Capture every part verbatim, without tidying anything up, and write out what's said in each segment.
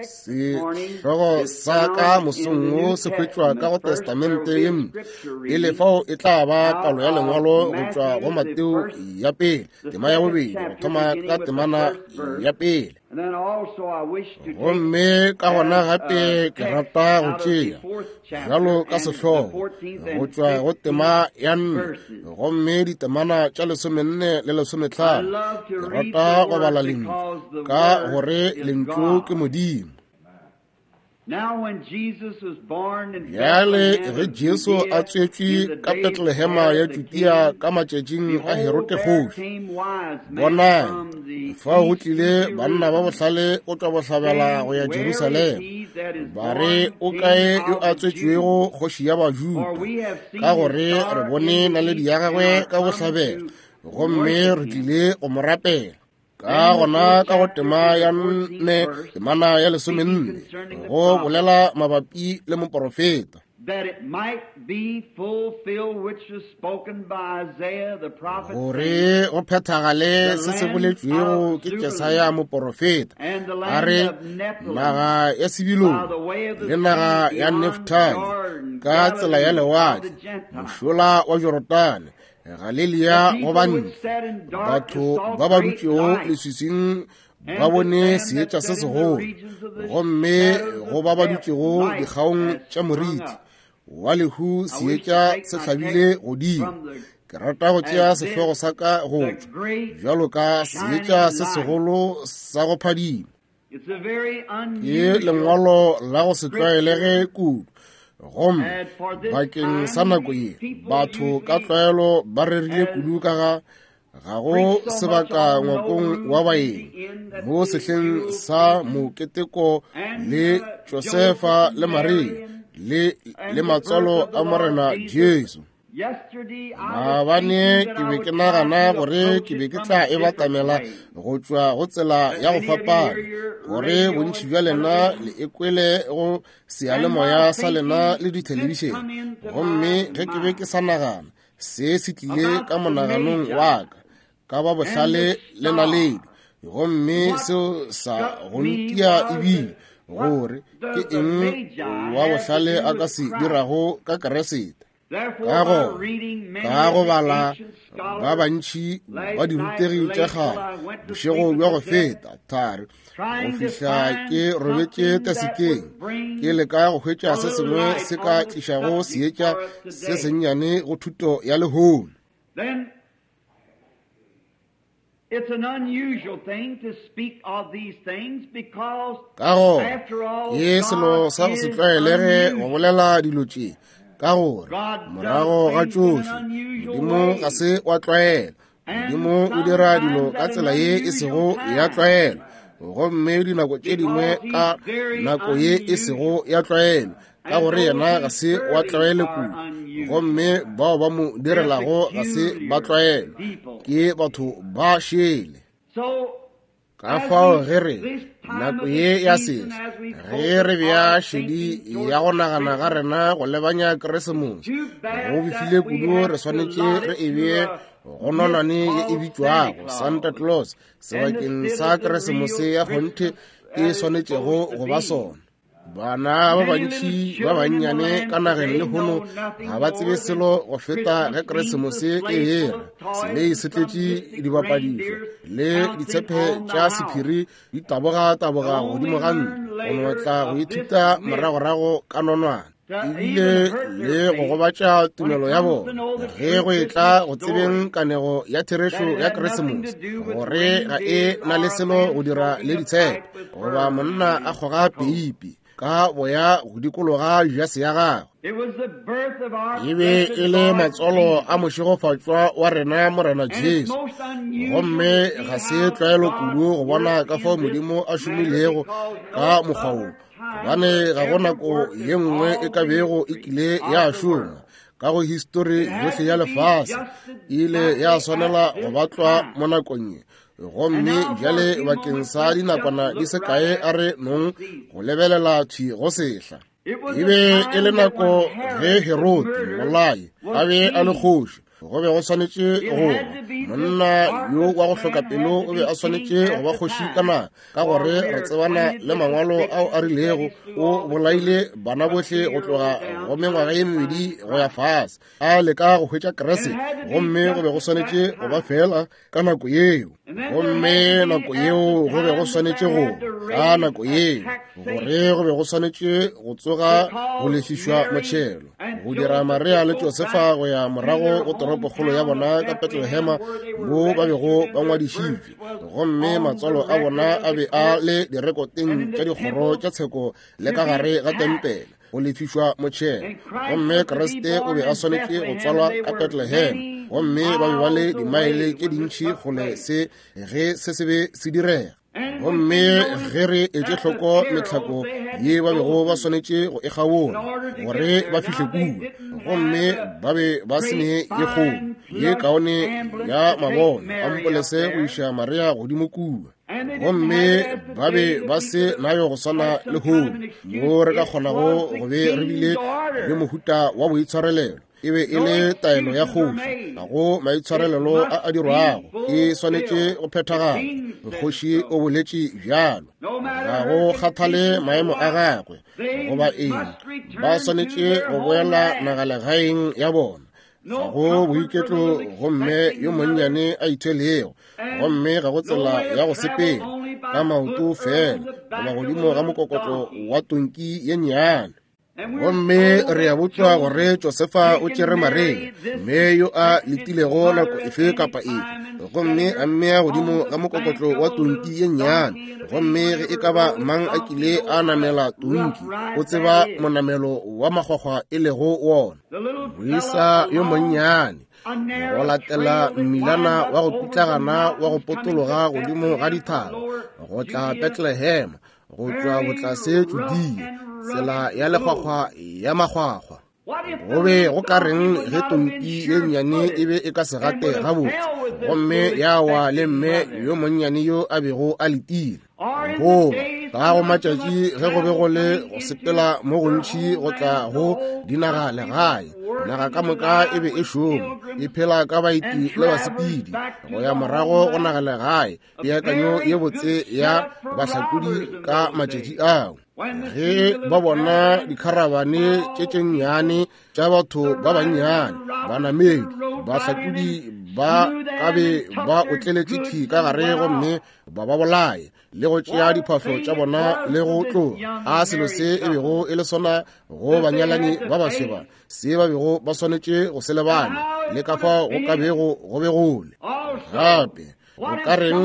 Sehlogo sa ka mosong wo se hwetšwa ka go Testamente ye Mpsha. Pele fao e tla ba palo ya lengwalo go tšwa go Mateo ya pele, tema ya bobedi, go thoma ka temana ya pele. Gomme ka gona gape ke rata go tšea bjalo ka sehlogo go tšwa go tema ya nne, gomme ditemana tša lesomenne le lesometlhano. Ke rata go bala lentšu ka gore lentšu ke Modimo. Bjale ge Jesu a tswetšwe ka Betlehema ya Judea ka matšatšing a Herode kgoši, bonang, fao go tlile banna ba bohlale go tšwa bohlabela go ya Jerusalema, ba re, o kae yo a tswetšwego kgoši ya Bajuda? Ka gore re bone naledi ya gagwe ka bohlabela, gomme re tlile go mo rapela. Ka gona ka go tema ya nne, temana ya lesomenne, go bolela mabapi le moporofeta. Gore go phethagale se se boletšwego ke Jesaya moporofeta, a re, naga ya Sibilone le naga ya Neftali ka tsela ya lewatle, mošola wa Jorodane, Galilea go bantle, batho ba ba dutšego leswiswing ba bone seetša se segolo, gomme go ba ba dutšego dikgaong tša moriti wa lehu seetša se hlabile godimo. Ke rata go tšea sehlogo sa ka go tšwa bjalo ka seetša se segolo sa go phadima. Ke lengwalo la go se tlwaelege kudu, gomme bakeng sa nako ye batho ka tlwaelo ba rerile kudu ka ga ga go sebaka ngwakong wa baeng mo sehleng sa moketeko le Josefa le Maria le le matswalo a Morena Jesu. Maabane ke be ke nagana gore ke be ke tla e batamela go tšwa go tsela ya go fapana, gore bontši bja lena le e kwele go seyalemoya sa lena le dithelebišene. Gomme ge ke be ke sa nagana, se se tlile ka monaganong wa ka, ka ba bohlale le naledi, gomme seo sa go ntia ebile gore ke eng wa bohlale a ka se dirago ka Keresete. Ka go ka go bala ba bantši ba dirutegi tša kgale bošego bja go feta thari go fihla ke robetše tasekeng, ke leka go hwetša se sengwe se ka tlišago seetša se sennyane go thuto ya lehono. It's an unusual thing to speak of these things because Ka go after all, ke selo God sa go se is tlwaelege go unusual. bolela dilo tše, ka gore God does morago ga things in an tšohle unusual Modimo way. ga se wa tlwaela. And Modimo o dira dilo sometimes ka at an tsela ye e unusual sego ya time. tlwaelo, gomme dinako tše dingwe Because he's ka very nako ye e sego unusual. ya tlwaelo, ka And gore those yena he ga se wa serves tlwaelo are kudu, unusual. gomme bao ba mo They're direlago ga se ba peculiar tlwaelo, people. ke batho ba šele. So Ka as fao we ge re this time nako of the ye ya season, sehla, as we ge re focus bea our šedi thinking towards ya go nagana ga Christmas, rena go lebanya Keresemose, too bad go befile that we kudu have re to swanetše allot re it e to bee a go myth nonwane ye e called Santa bitšwago Santa Claus Claus and sebakeng instead sa of the real Keresemose ya kgonthe Christmas e that it's swanetšego supposed to go ba be. sona. Bana ba Many little bantši ba children in the bannyane land ka nageng today lehono know nothing ga ba tsebe more than selo go feta ge Christmas means a Keresemose e sleigh full hela. of toys Selei and se some tletše mystic dibapadišo reindeers le bouncing ditshepe on the tša house. sephiri di taboga-taboga They'll only godimo ga ntlo learn go no later tla go of this ithuta myth moragorago ka nonwane, to even ebile hurt le their go faith gobatša when it tumelo ya comes to bona know the ge true go etla Christmas go tsebeng story, kanego ya that therešo it ya had nothing to Keresemose, do with gore ga e reindeers na le or a selo man go dira smoking le a ditshepe pipe with goba fur monna on a his kgoga coat. peipi ka boya go dikologa jase ya gagwe. It was the birth of our E be blessed e le Lord matswalo a Jesus. mošegofatšwa wa rena Morena And it's Jesu. most unusual Gomme to see ga se how tlwaelo God kudu go bona worked ka fao in this Modimo a manner šomilego because ka no mokgwa wo, other time gobane was ga go ever nako worked ye in nngwe e all ka the bego e history kile ya of the šoma world. ka go histori It had yohle ya to be lefase, just e ile ya exactly swanela at go this batlwa time. mo nakong ye. And Gomme now for a bjale few bakeng moments, sa let's just dinakwana di look se right kae at a re the nong season. go lebelela thwi go sehla. It was E a be e le time that nako when ge Herod the Herode murderer mmolai a was be a le king. kgoši, Go be go swanetše go monna yo wa go hloka pelo o be a swanetše go ba kgoši ka nako, ka gore re tsebana le mangwalo ao a rilego o bolaile bana bohle go tloga go mengwaga ye mebedi go ya fase, a leka go hwetša Kriste. Gomme go be go swanetše go ba fela ka nako yeo. Gomme nako yeo go be go swanetše go ka nako yeo gore go be go swanetše go tsoga go lefišwa motšhelo, go dira Maria le Josefa go ya morago go toropokgolo ya bona ka Bethlehem mo ba bego ba ngwadišitšwe. Gomme matswalo a bona a be a le direkoteng tša dikgoro tša tsheko le ka gare ga tempele go lefišwa motšhelo. Gomme Kriste o be a swanetše go tswalwa ka Bethlehem, gomme ba be ba le dimaele tše dintši kgole se ge se se be se direga. Gomme ge re etše hloko mehlako ye ba bego ba swanetše go e kgaola gore ba fihle kua, gomme ba be ba se ne ye kgolo ye kaone ya mabone ampolese go iša Maria godimo kua. Gomme ba be ba se nayo go swana le lehono mo re ka kgonago go be re bile le mohuta wa boitshwarelelo. E be e le taelo ya kgoši, ga go maitshwarelelo a a dirwago, e swanetše go phethagala. Kgoši o boletše bjalo, ga go kgathale maemo a gagwe goba eng, ba swanetše go boela nagalegaeng ya bona. Ga go boiketlo gomme yo monnyane a ithwelego, gomme ga go tsela ya go sepela ka maoto fela goba godimo ga mokokotlo wa tonki ye nnyane. Gomme re a botšwa gore Josefa o tšere Maria, mme yo a letilego nako efe kapa efe, gomme a mmea godimo ga mokokotlo wa tonki ye nnyane. Gomme ge e ka ba mang a kile a namela tonki, o tseba monamelo wa makgwakgwa e lego wona. Moisa yo monnyane go latela mmilana wa go pitlagana wa go potologa godimo ga dithaba go tla Bethlehem, go tšwa botlase Judea, tsela ya lekgwakgwa ya makgwakgwa. Go be go ka reng ge tonki ye nnyane e be e ka se gate gabotse, gomme ya wa le mme yo monnyane yo a bego a letile? Goba ka go matšatši ge go be go le go sepela mo gontši go tla go dinaga legae, naga ka moka e be e šoma e phela ka baeti le basepedi go ya morago go naga legae, peakanyo ye botse ya bahlakodi ka matšatši ao. Ge ba bona dikharabane tše tše nnyane tša batho ba bannyane, banamedi, bahlakodi ba ka be ba otleletše thwi ka gare gomme ba ba bolaye le go tšea diphahlo tša bona le go tloga. A selo se e bego e le sona go banyalani ba baswa se ba bego ba swanetše go se lebanya, le ka fao go ka bego go be gole. Gape go ka reng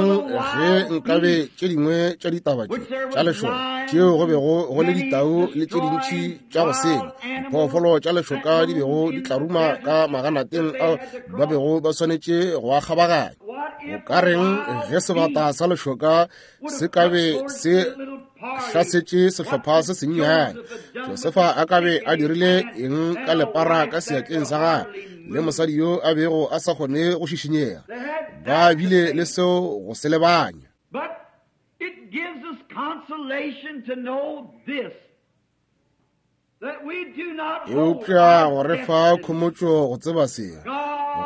ge nkabe tše dingwe tša ditaba tše tša lešoka tšeo go bego go le ditau le tše dintši tša go senya, diphoofolo tša lešoka di bego di tlaruma ka maganateng ao ba bego ba swanetše go a kgabaganya? Go ka reng ge sebata sa lešoka se ka be se hlasetše sehlopha se sennyane? Josefa a ka be a dirile eng ka lepara ka seatleng sa gagwe le mosadi yo a bego a sa kgone go šišinyega? Ba bile le seo go se lebanya. But it gives us consolation to know this, that we do not hold Eupša go re fa khomotšo go tseba se,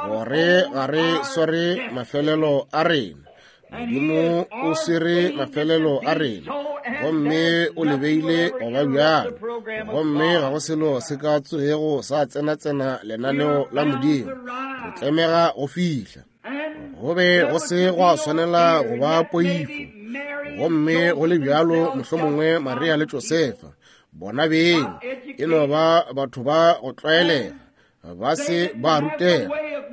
gore ga re sware mafelelo a rena. Modimo o swere mafelelo a rena, gomme o lebeile go ba bjalo. Gomme ga go selo se ka tsogego sa tsena-tsena lenaneo la Modimo. Re tlemega go fihla. Go be go se gwa swanela go ba poifo. Gomme go le bjalo mohlomongwe Maria le Josefa bona beng e no ba batho ba go tlwaelega, ba se ba rutega,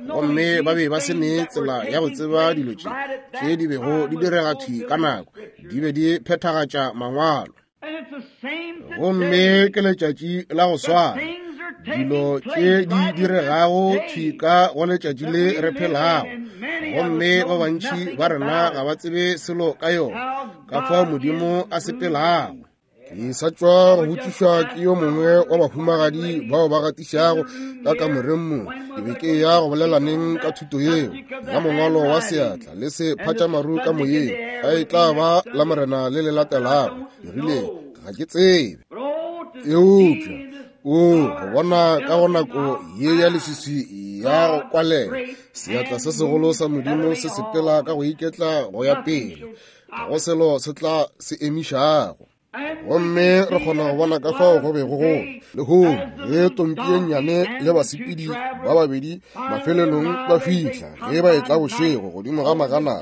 gomme ba be ba se ne tsela ya go tseba dilo tše tše di bego di direga thwi ka nako, di be di phethagatša mangwalo. Gomme ke letšatši la go swana, dilo tše di diregago thwi ka go letšatši le re phelago, gomme ba bantši ba rena ga ba tsebe selo ka yona, ka fao Modimo a sepelago. Ke sa tšwa go botšišwa ke yo mongwe wa bahumagadi bao ba gatišago ka kamoreng mo. Ke be ke ya go bolelaneng ka thuto yeo ya mongwalo wa seatla le se phatšamaru ka moyeng, a e tla ba la Morena le le latelago. Ke rile ga ke tsebe, eupša o go bona ka go nako ye ya leswiswi ya go kwalela. Seatla se segolo sa Modimo se sepela ka go iketla go ya pele, ga go selo se tla se emišago. Gomme re kgona go bona ka fao go bego go lehono ge tonki ye nnyane le basepedi ba babedi mafelelong ba fihla ge ba etla bošego godimo ga magana,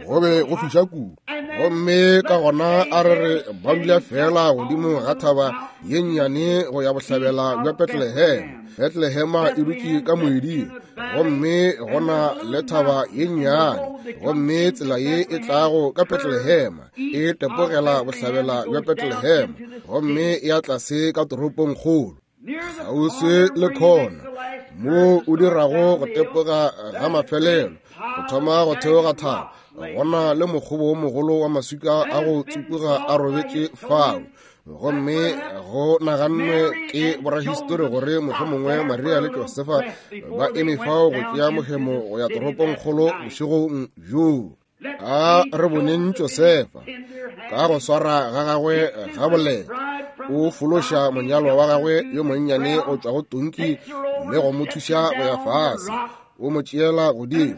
go be go fiša kudu. Gomme ka gona a re re ba dula fela godimo ga thaba ye nnyane go ya bohlabela bja Bethlehem. Bethlehema e dutše ka moeding, gomme gona le thaba ye nnyane, gomme tsela ye e tlago ka Bethlehema e tepogela bohlabela bja Bethlehem, gomme ya tlase ka toropong kgolo kgauswi le khona mo o dirago go tepoga ga mafelelo go thoma go theoga thaba. Gona le mokgobo wo mogolo wa maswika a go tsupuga a robetše fao, gomme go nagannwe ke borahistori gore mohlomongwe Maria le Josefa ba eme fao go tšea mohemo go ya toropong kgolo bošegong bjoo. A re boneng Josefa ka go swara ga gagwe ga boleta, o fološa monyalwa wa gagwe yo monnyane go tšwa go tonki le go mo thuša go ya fase, o mo tšeela godimo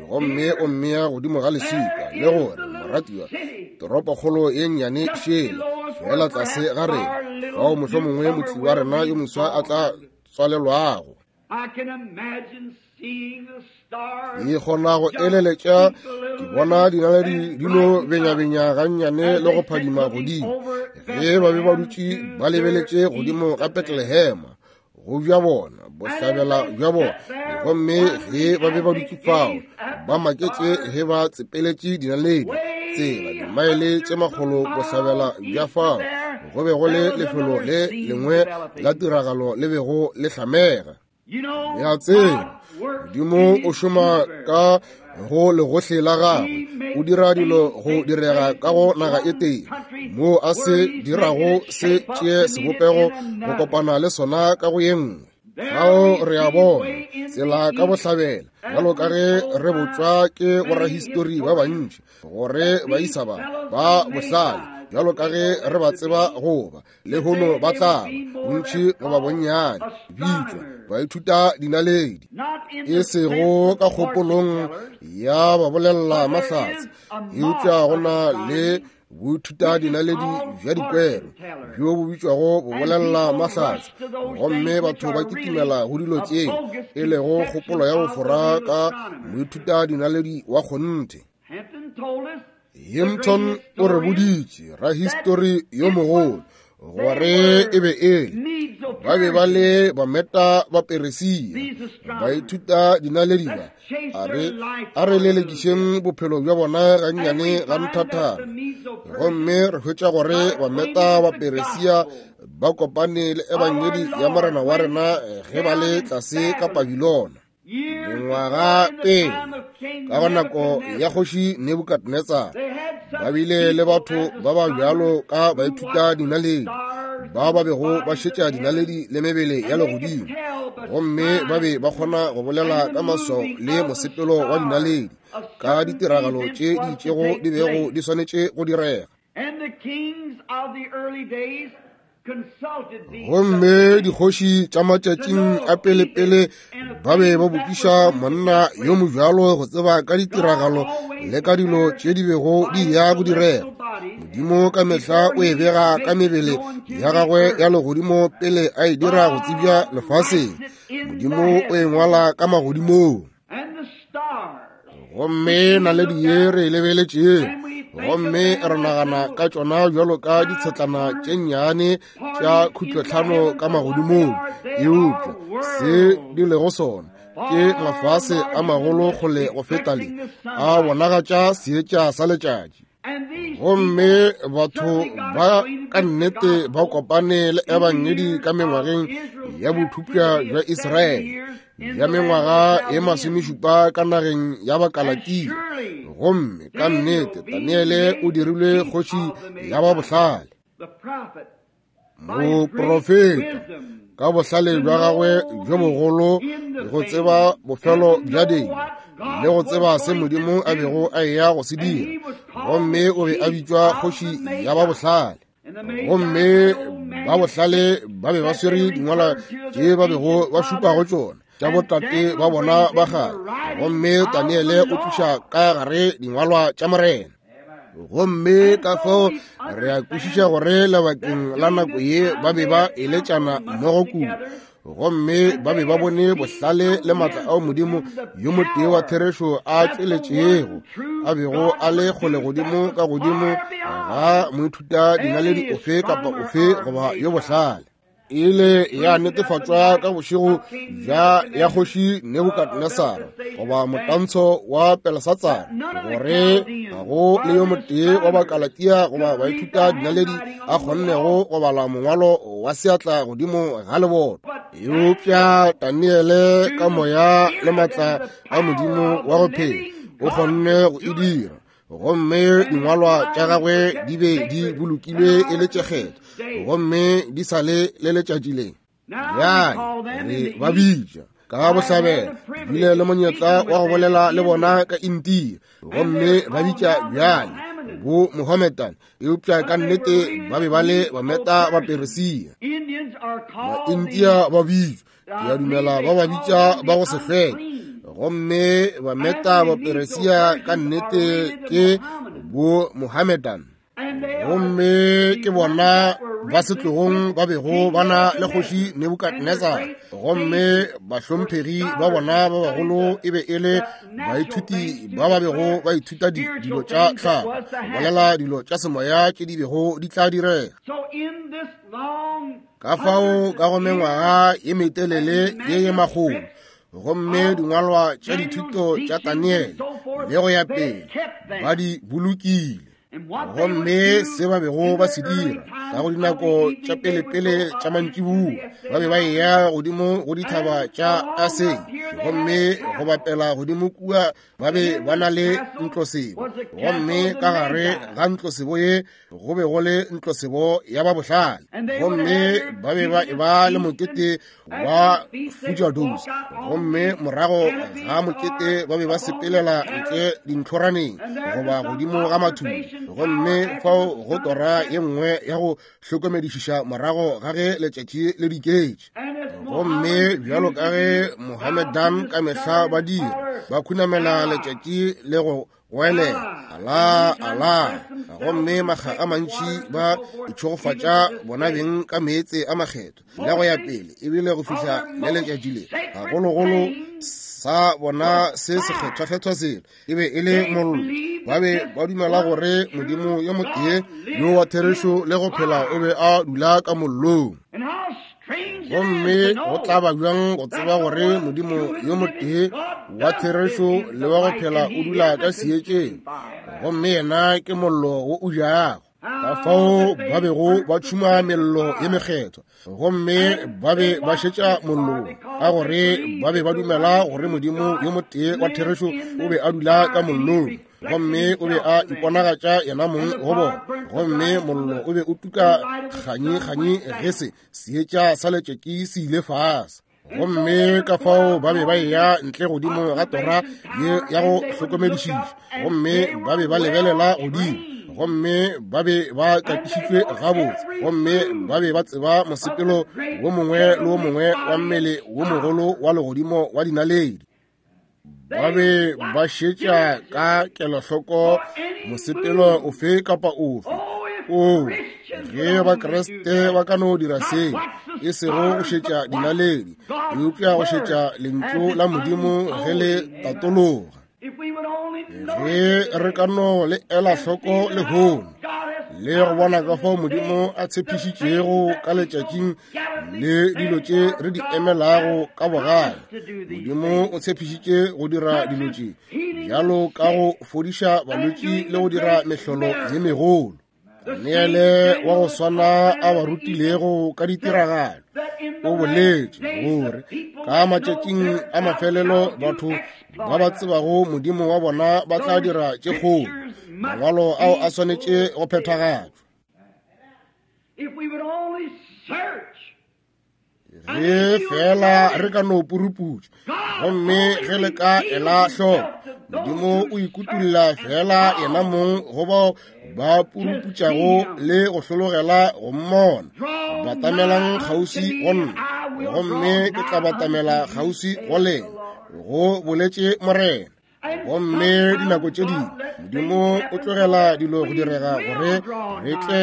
gomme o mmea godimo ga leswika, le gore moratiwa toropokgolo ye nnyane šele fela tlase ga rena, fao mohlomongwe motli wa rena yo moswa a tla tswalelwago. Ke kgona go eleletša ke bona dinaledi di no benyabenya gannyane le go phadima godimo ge ba be ba dutše ba lebeletše godimo ga Bethlehema, go bja bona bohlabela bja bona. Gomme ge ba be ba dutše fao ba maketše ge ba tsepeletše dinaledi tsela dimaele tše makgolo bohlabela bja fao, go be go le lefelo le lengwe la tiragalo le bego le hlamega. Ya tseba Modimo o šoma ka go legohle la gagwe, o dira dilo go direga ka go naga e tee, moo a se dirago se tšee sebopego go kopana le sona ka go ye nngwe. Fao re a bona tsela ka bohlabela, bjalo ka ge re botšwa ke borahistori ba bantši gore baisa ba ba bohlale, bjalo ka ge re ba tseba goba lehono ba tla ba bontši goba bonnyane bitšwa baithuta dinaledi, e sego ka kgopolong ya ba bolela mahlatse, eupša go na le boithuta dinaledi bja dikwero bjo bo bitšwago bo bolela mahlatse, gomme batho ba kitimela go dilo tše e lego kgopolo ya bofora ka moithuta dinaledi wa kgonthe. Hampton o re boditše rahistori yo mogolo gore e be e le ba be ba le bameta ba Peresia baithuta dinaledi ba, a re a re lelekišeng bophelo bja bona gannyane ga nthathana. Gomme re hwetša gore bameta ba Peresia ba kopane le ebangedi ya Morena wa rena ge ba le tlase ka Babilona mengwaga pele ka go nako ya kgoši Nebukadnetsar. Ba bile le batho ba ba bjalo ka baithuta dinaledi ba ba bego ba šetša dinaledi le mebele ya legodimo, gomme ba be ba kgona go bolela ka maswao le mosepelo wa dinaledi ka ditiragalo tše di itšego di bego di swanetše go direga. Gomme dikgoši tša matšatšing a pelepele ba be ba botšiša monna yo mobjalo go tseba ka ditiragalo le ka dilo tše di bego di ya go direga. Modimo ka mehla o e bega ka mebele ya gagwe ya legodimo pele a e dira go tsebja lefaseng. Modimo o e ngwala ka magodimong. Gomme naledi ye re e lebeletšeng, gomme re nagana ka tšona bjalo ka ditshetlana tše nnyane tša khutlotlhano ka magodimong, eupša se di lego sona ke mafase a magolo kgole go feta le a bonagatša seetša sa letšatši. Gomme batho ba ka nnete ba kopane le ebangedi ka mengwageng ya bothupša bja Israele ya mengwaga e masomešupa ka nageng ya Bakalatia. Gomme ka nnete Daniele o dirilwe kgoši ya ba bohlale, moprofeta ka bohlale bja gagwe bjo bogolo go tseba bofelo bja dilo le go tseba se Modimo a bego a eya go se dira. Gomme o be a bitšwa kgoši ya ba bohlale. Gomme ba bohlale ba be ba swere dingwalwa tše ba bego ba šupa go tšona. tša botate ba bona ba kgale. Gomme Daniele o tliša ka gare dingwalwa tša Morena. Gomme ka fao re a kwešiša gore lebakeng la nako ye ba be ba eletšana mmogo kudu, gomme ba be ba bone bohlale le maatla ao Modimo yo motee wa therešo a tšweletšego, a bego a le kgole godimo ka godimo ga moithuta dinaledi ofe kapa ofe goba yo bohlale. E ile ya netefatšwa ka bošego bja ya kgoši Nebukadnesara goba motantsho wa Belesatsara gore ga go le yo motee wa Bakalatia goba baithuta dinaledi a kgonnego go bala mongwalo wa seatla godimo ga leboto. Eupša Daniele ka moya le maatla a Modimo wa go phela o kgonne go e dira, gomme dingwalwa tša gagwe di be di bolokilwe e le tše kgethwa, gomme di sa le le letšatši le. Bjale re ba bitša ka bohlabela, bile le monyetla wa go bolela le bona ka India, gomme ba bitša bjale bo Mohammedan, eupša ka nnete ba be ba le Bameta ba Peresia. Ba-India ba bitšwa, ke a dumela ba ba bitša ba go se hlweke, gomme Bameta ba Peresia ka nnete ke bo Mohammedan. Gomme ke bona ba setlogong ba bego ba na le kgoši Nebukadnesar, gomme bahlomphegi ba bona ba bagolo e be e le baithuti ba ba bego ba ithuta dilo tša tlhago, bolela dilo tša semoya tše di bego di tla direga. Ka fao ka go mengwaga ye metelele ye ye makgolo, gomme dingwalwa tša dithuto tša Daniele le go ya pele ba di bolokile. Gomme se ba bego ba se dira ka go dinako tša pelepele tša mantšiboa, ba be ba eya godimo go dithaba tša Asei, gomme go bapela godimo kua ba be ba na le ntlosebo, gomme ka gare ga ntlosebo ye go be go le ntlosebo ya ba bohlale, gomme ba be ba eba le mokete wa Fujados, gomme morago ga mokete ba be ba sepelela ntle dintlhoraneng goba godimo ga mathudi, gomme fao go tora ye nngwe ya go hlokomedišiša morago ga ge letšatši le diketše. Gomme bjalo ka ge Mohammedan ka mehla ba dira, ba khunamela letšatši le go goelela Allah, Allah, gomme makga a mantši ba itšhogofatša bona beng ka meetse a makgetho le go ya pele, ebile go fihla le letšatši le gagologolo sa bona se sekgethwakgethwa selo e be e le mollo. Ba be ba dumela gore Modimo yo motee yo wa therešo le go phela o be a dula ka mollong. Gomme go tla ba bjang go tseba gore Modimo yo motee wa therešo le wa go phela o dula ka seetšeng, gomme yena ke mollo wo o jago. Ka fao ba bego ba tšhuma mello ye mekgethwa, gomme ba be ba šetša mollong, ka gore ba be ba dumela gore Modimo yo motee wa therešo o be a dula ka mollong, gomme o be a iponagatša yena mong go bona, gomme mollo o be o tuka kganyi-kganyi ge se seetša sa letšatši se ile fase. Gomme ka fao ba be ba eya ntle godimo ga tora ye ya go hlokomedišiša, gomme ba be ba lebelela godimo, gomme ba be ba katišitšwe gabotse, gomme ba be ba tseba mosepelo wo mongwe le wo mongwe wa mmele wo mogolo wa legodimo wa dinaledi. Ba be ba šetša ka kelohloko mosepelo ofe kapa ofe. O, ge Bakriste ba ka no dira se, e sego go šetša dinaledi, eupša go šetša lentšu la Modimo ge le tatologa. Ge re ka no le ela hloko lehono le go bona ka fao Modimo a tshepišitšego ka letšatšing le dilo tše re di emelago ka bogale, Modimo o tshepišitše go dira dilo tše bjalo ka go fodiša balwetši le go dira mehlolo ye megolo. Daniele wa go swana a ba rutilego ka ditiragalo o boletše gore ka matšatšing a mafelelo batho ba ba tsebago Modimo wa bona ba tla dira tše kgolo. Mangwalo ao a swanetše go phethagatšwa. Ge fela re ka no puruputša, gomme ge le ka ela hloko, Modimo o ikutulla fela yena mong go bao ba puruputšago le go hlologela go mmona. Batamelang kgauswi go nna, gomme ke tla batamela kgauswi go lena, go boletše Morena. Gomme dinako tše dingwe Modimo o tlogela dilo go direga gore re tle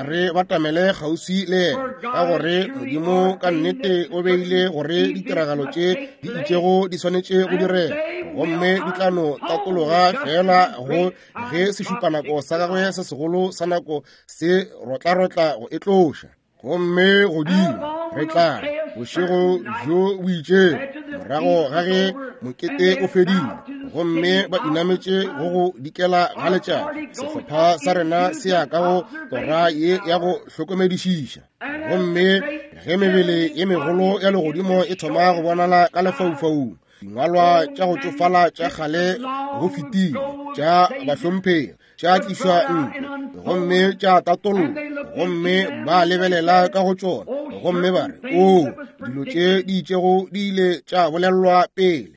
re batamele kgauswi le yena, ka gore Modimo ka nnete o beile gore ditiragalo tše di itšego di swanetše go direga, gomme di tla no tatologa fela go ge sešupanako sa gagwe se segolo sa nako se rotlarotla go e tloša. Gomme godimo re tla bošego bjo bo itšego morago ga ge mokete o fedile, gomme ba inametše go go dikela ga letšatši, sehlopha sa rena se ya ka go tora ye ya go hlokomedišiša. Gomme ge mebele ye megolo ya legodimo e thoma go bonala ka lefaufaung, dingwalwa tša go tšofala tša kgale go fetile tša bahlomphegi tša tlišwa ntle gomme tša tatollwa, gomme ba lebelela ka go tšona gomme ba re, o dilo tše di itšego di ile tša bolelwa pele.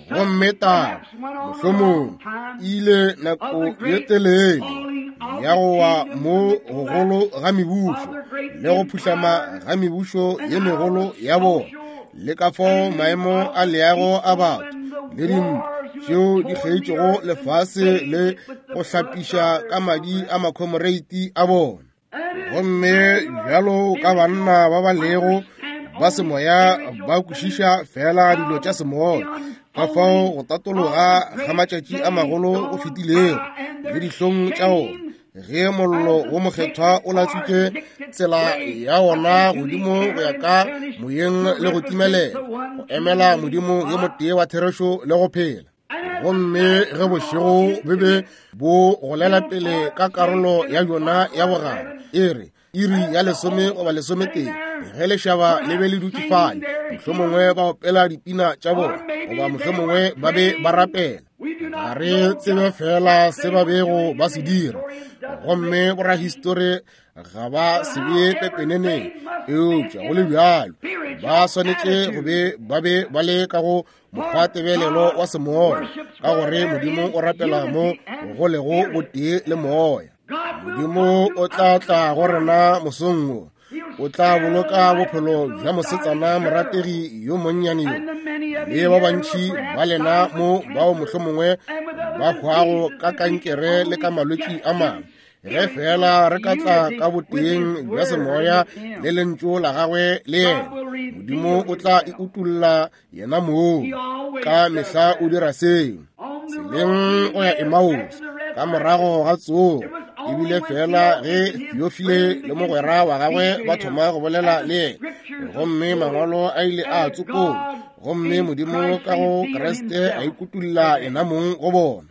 Gomme taba mohlomong ile nako ye telele ya go wa mo gogolo ga mebušo le go phuhlama ga mebušo ye megolo ya bona, le ka fao maemo a leago a batho le dintwa tšeo di kgeitšego lefase le go hlapiša ka madi a makhomoreiti a bona. Gomme bjalo ka banna ba ba lego ba semoya ba kwešiša fela dilo tša semoya, ka fao go tatologa ga matšatši a magolo go fetilego le dihlong tša ona, ge mollo wo mokgethwa o latswitše tsela ya wona godimo go ya ka moyeng le go timelela, go emela Modimo yo motee wa therešo le go phela. Gomme ge bošego be be bo golela pele ka karolo ya yona ya bogare, e re iri ya lesome goba lesometee, ge lešaba le be le dutše fale, mohlomongwe ba opela dipina tša bona goba mohlomongwe ba be ba rapela, ga re tsebe fela se ba bego ba se dira, gomme borahistori ga ba se bee pepeneneng, eupša go le bjalo ba swanetše go be ba be ba le ka go mokgwatebelelo wa semoya, ka gore Modimo o rapela mo go lego botee le moya. Modimo o tla tla go rena mosong wo, o tla boloka bophelo bja mosetsana morategi yo monnyane yo, le ba bantši ba lena mo bao mohlomongwe ba hwago ka kankere le ka malwetši a mangwe. Ge fela re ka tla ka boteng bja semoya le lentšu la gagwe le yena, Modimo o tla e utulla yena moo. Ka mehla o dira seo. Tseleng go ya Emmaus ka morago ga tsogo, ebile fela ge Theophile le mogwera wa gagwe ba thoma go bolela le yena, gomme mangwalo a ile a tsopola, gomme Modimo ka go Kriste a ikutulla yena mong go bona.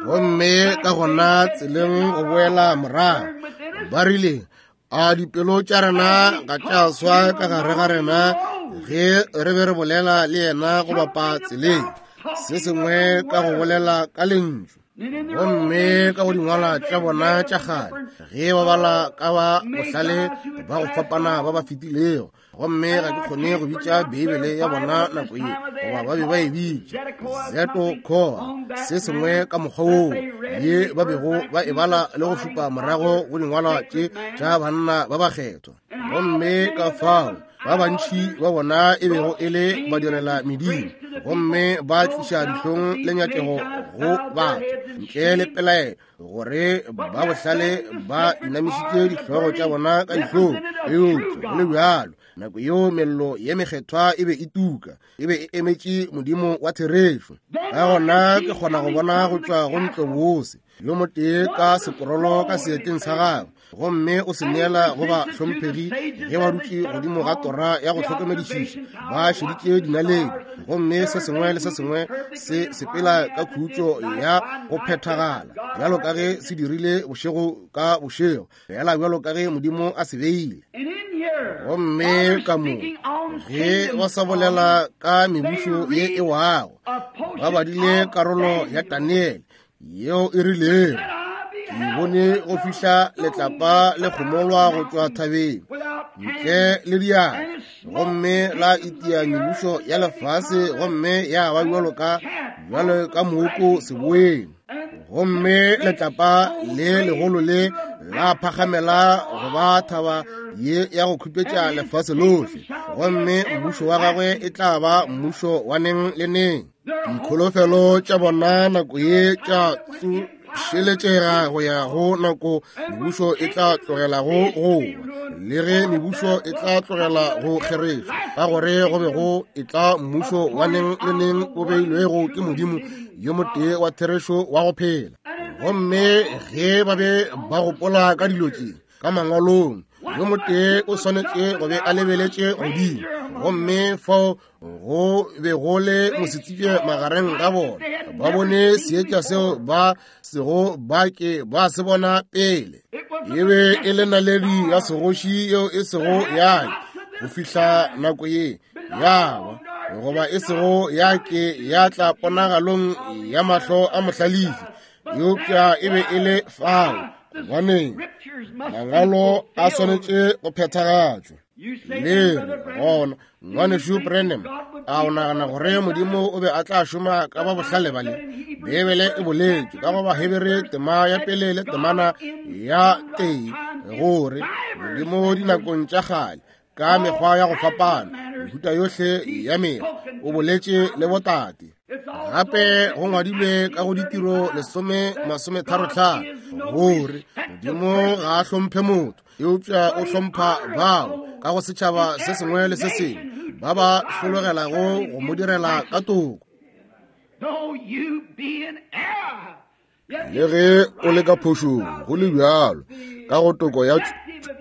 Gomme ka gona tseleng go boela morago, ba rile, a dipelo tša rena ga tša swa ka gare ga rena ge re be re bolela le yena go bapa tseleng, se sengwe ka go bolela ka lentšu. Gomme ka go dingwalwa tša bona tša kgale, ge ba bala ka ba bohlale ba go fapana ba ba fetilego, gomme ga ke kgone go bitša Beibele ya bona nako ye, goba ba be ba e bitša Zeto Koa, se sengwe ka mokgwa woo ye ba bego ba e bala le go šupa morago go dingwalwa tše tša banna ba bakgethwa. Gomme ka fao ba bantši ba bona e bego e le badirela medimo, gomme ba tliša dihlong le nyakego go batho, ntle le pelaelo gore ba bohlale ba inamišitše dihlogo tša bona ka dihlong. Eupša go le bjalo, nako yeo mello ye mekgethwa e be e tuka, e be e emetše Modimo wa therešo. Ka gona ke kgona go bona go tšwa go ntlobose yo motee ka sekorolo ka seeteng sa gagwe, gomme o se neela go ba hlomphegi ge ba dutše godimo ga tora ya go hlokomedišiša, ba šeditše dinaledi, gomme se sengwe le se sengwe se sepela ka khutšo ya go phethagala, bjalo ka ge se dirile bošego ka bošego, fela bjalo ka ge Modimo a se beile. Gomme ka mo ge ba sa bolela ka mebušo ye e wago, ba badile karolo ya Daniele yeo e rilego, ke bone go fihla letlapa le kgomolwa go tšwa thabeng ntle le diatla, gomme la itia mebušo ya lefase, gomme ya ba bjalo ka bjalo ka mooko seboeng. Gomme letlapa le legolo le la phagamela go ba thaba ye ya go khupetša lefase lohle, gomme mmušo wa gagwe e tla ba mmušo wa neng le neng. Dikholofelo tša bona nako ye tša tsošeletšega go ya go nako mebušo e tla tlogelago go wa, le ge mebušo e tla tlogela go kgerešwa, ka gore go be go e tla mmušo wa neng le neng o beilwego ke Modimo yo motee wa therešo wa go phela. Gomme ge ba be ba gopola ka dilo tše ka mangwalong, yo motee o swanetše go be a lebeletše godimo, gomme fao go be go le mosetsebje magareng ga bona. Ba bone seetša seo ba sego ba ke ba se bona pele. E be e le naledi ya segoši yeo e sego ya go fihla nako ye ya ba, goba e sego ya ke ya tla ponagalong ya mahlo a mohlalefi, eupša e be e le fao. Gobaneng mangwalo a swanetše go phethagatšwa. Le re gona, ngwanešu Branham, a o nagana gore Modimo o be a tla šoma ka ba bohlale bale? Beibele e boletše ka go Bahebere tema ya pele le temana ya tee gore Modimo dinakong tša kgale ka mekgwa ya go fapana, mehuta yohle ya mekgwa, o boletše le botate. Gape go ngwadilwe ka go Ditiro lesome masometharo tlhano gore Modimo ga a hlomphe motho, eupša o hlompha bao ka go setšhaba se sengwe le se sengwe ba ba hlologelago go mo direla ka toko. Le ge o le ka phošong, go le bjalo ka go toko ya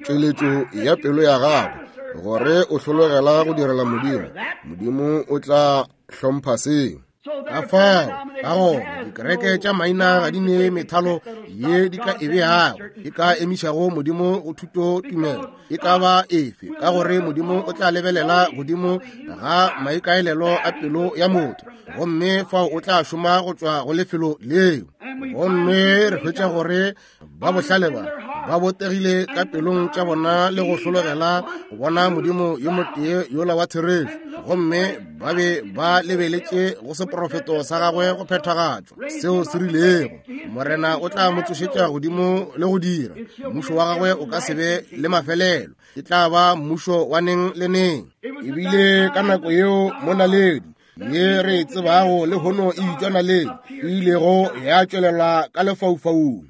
tšweletšo ya pelo ya gago, gore o hlologela go direla Modimo, Modimo o tla hlompha seo. Ka fao, ka gona dikereke tša maina ga di ne methalo ye di ka e beago e ka emišago Modimo go thuto tumelo e ka ba efe, ka gore Modimo o tla lebelela godimo ga maikaelelo a pelo ya motho, gomme fao o tla šoma go tšwa go lefelo leo. Gomme re hwetša gore ba bohlale ba ba botegile ka pelong tša bona le go hlologela go bona Modimo yo motee yola wa therešo, gomme ba be ba lebeletše go seprofeto sa gagwe go phethagatšwa seo se rilego Morena o tla mo tsošetša godimo le go dira mmušo wa gagwe o ka se be le mafelelo, e tla ba mmušo wa neng le neng. Ebile ka nako yeo mo naledi ye re e tsebago lehono e bitšwa naledi e ilego ya tšwelela ka lefaufaung.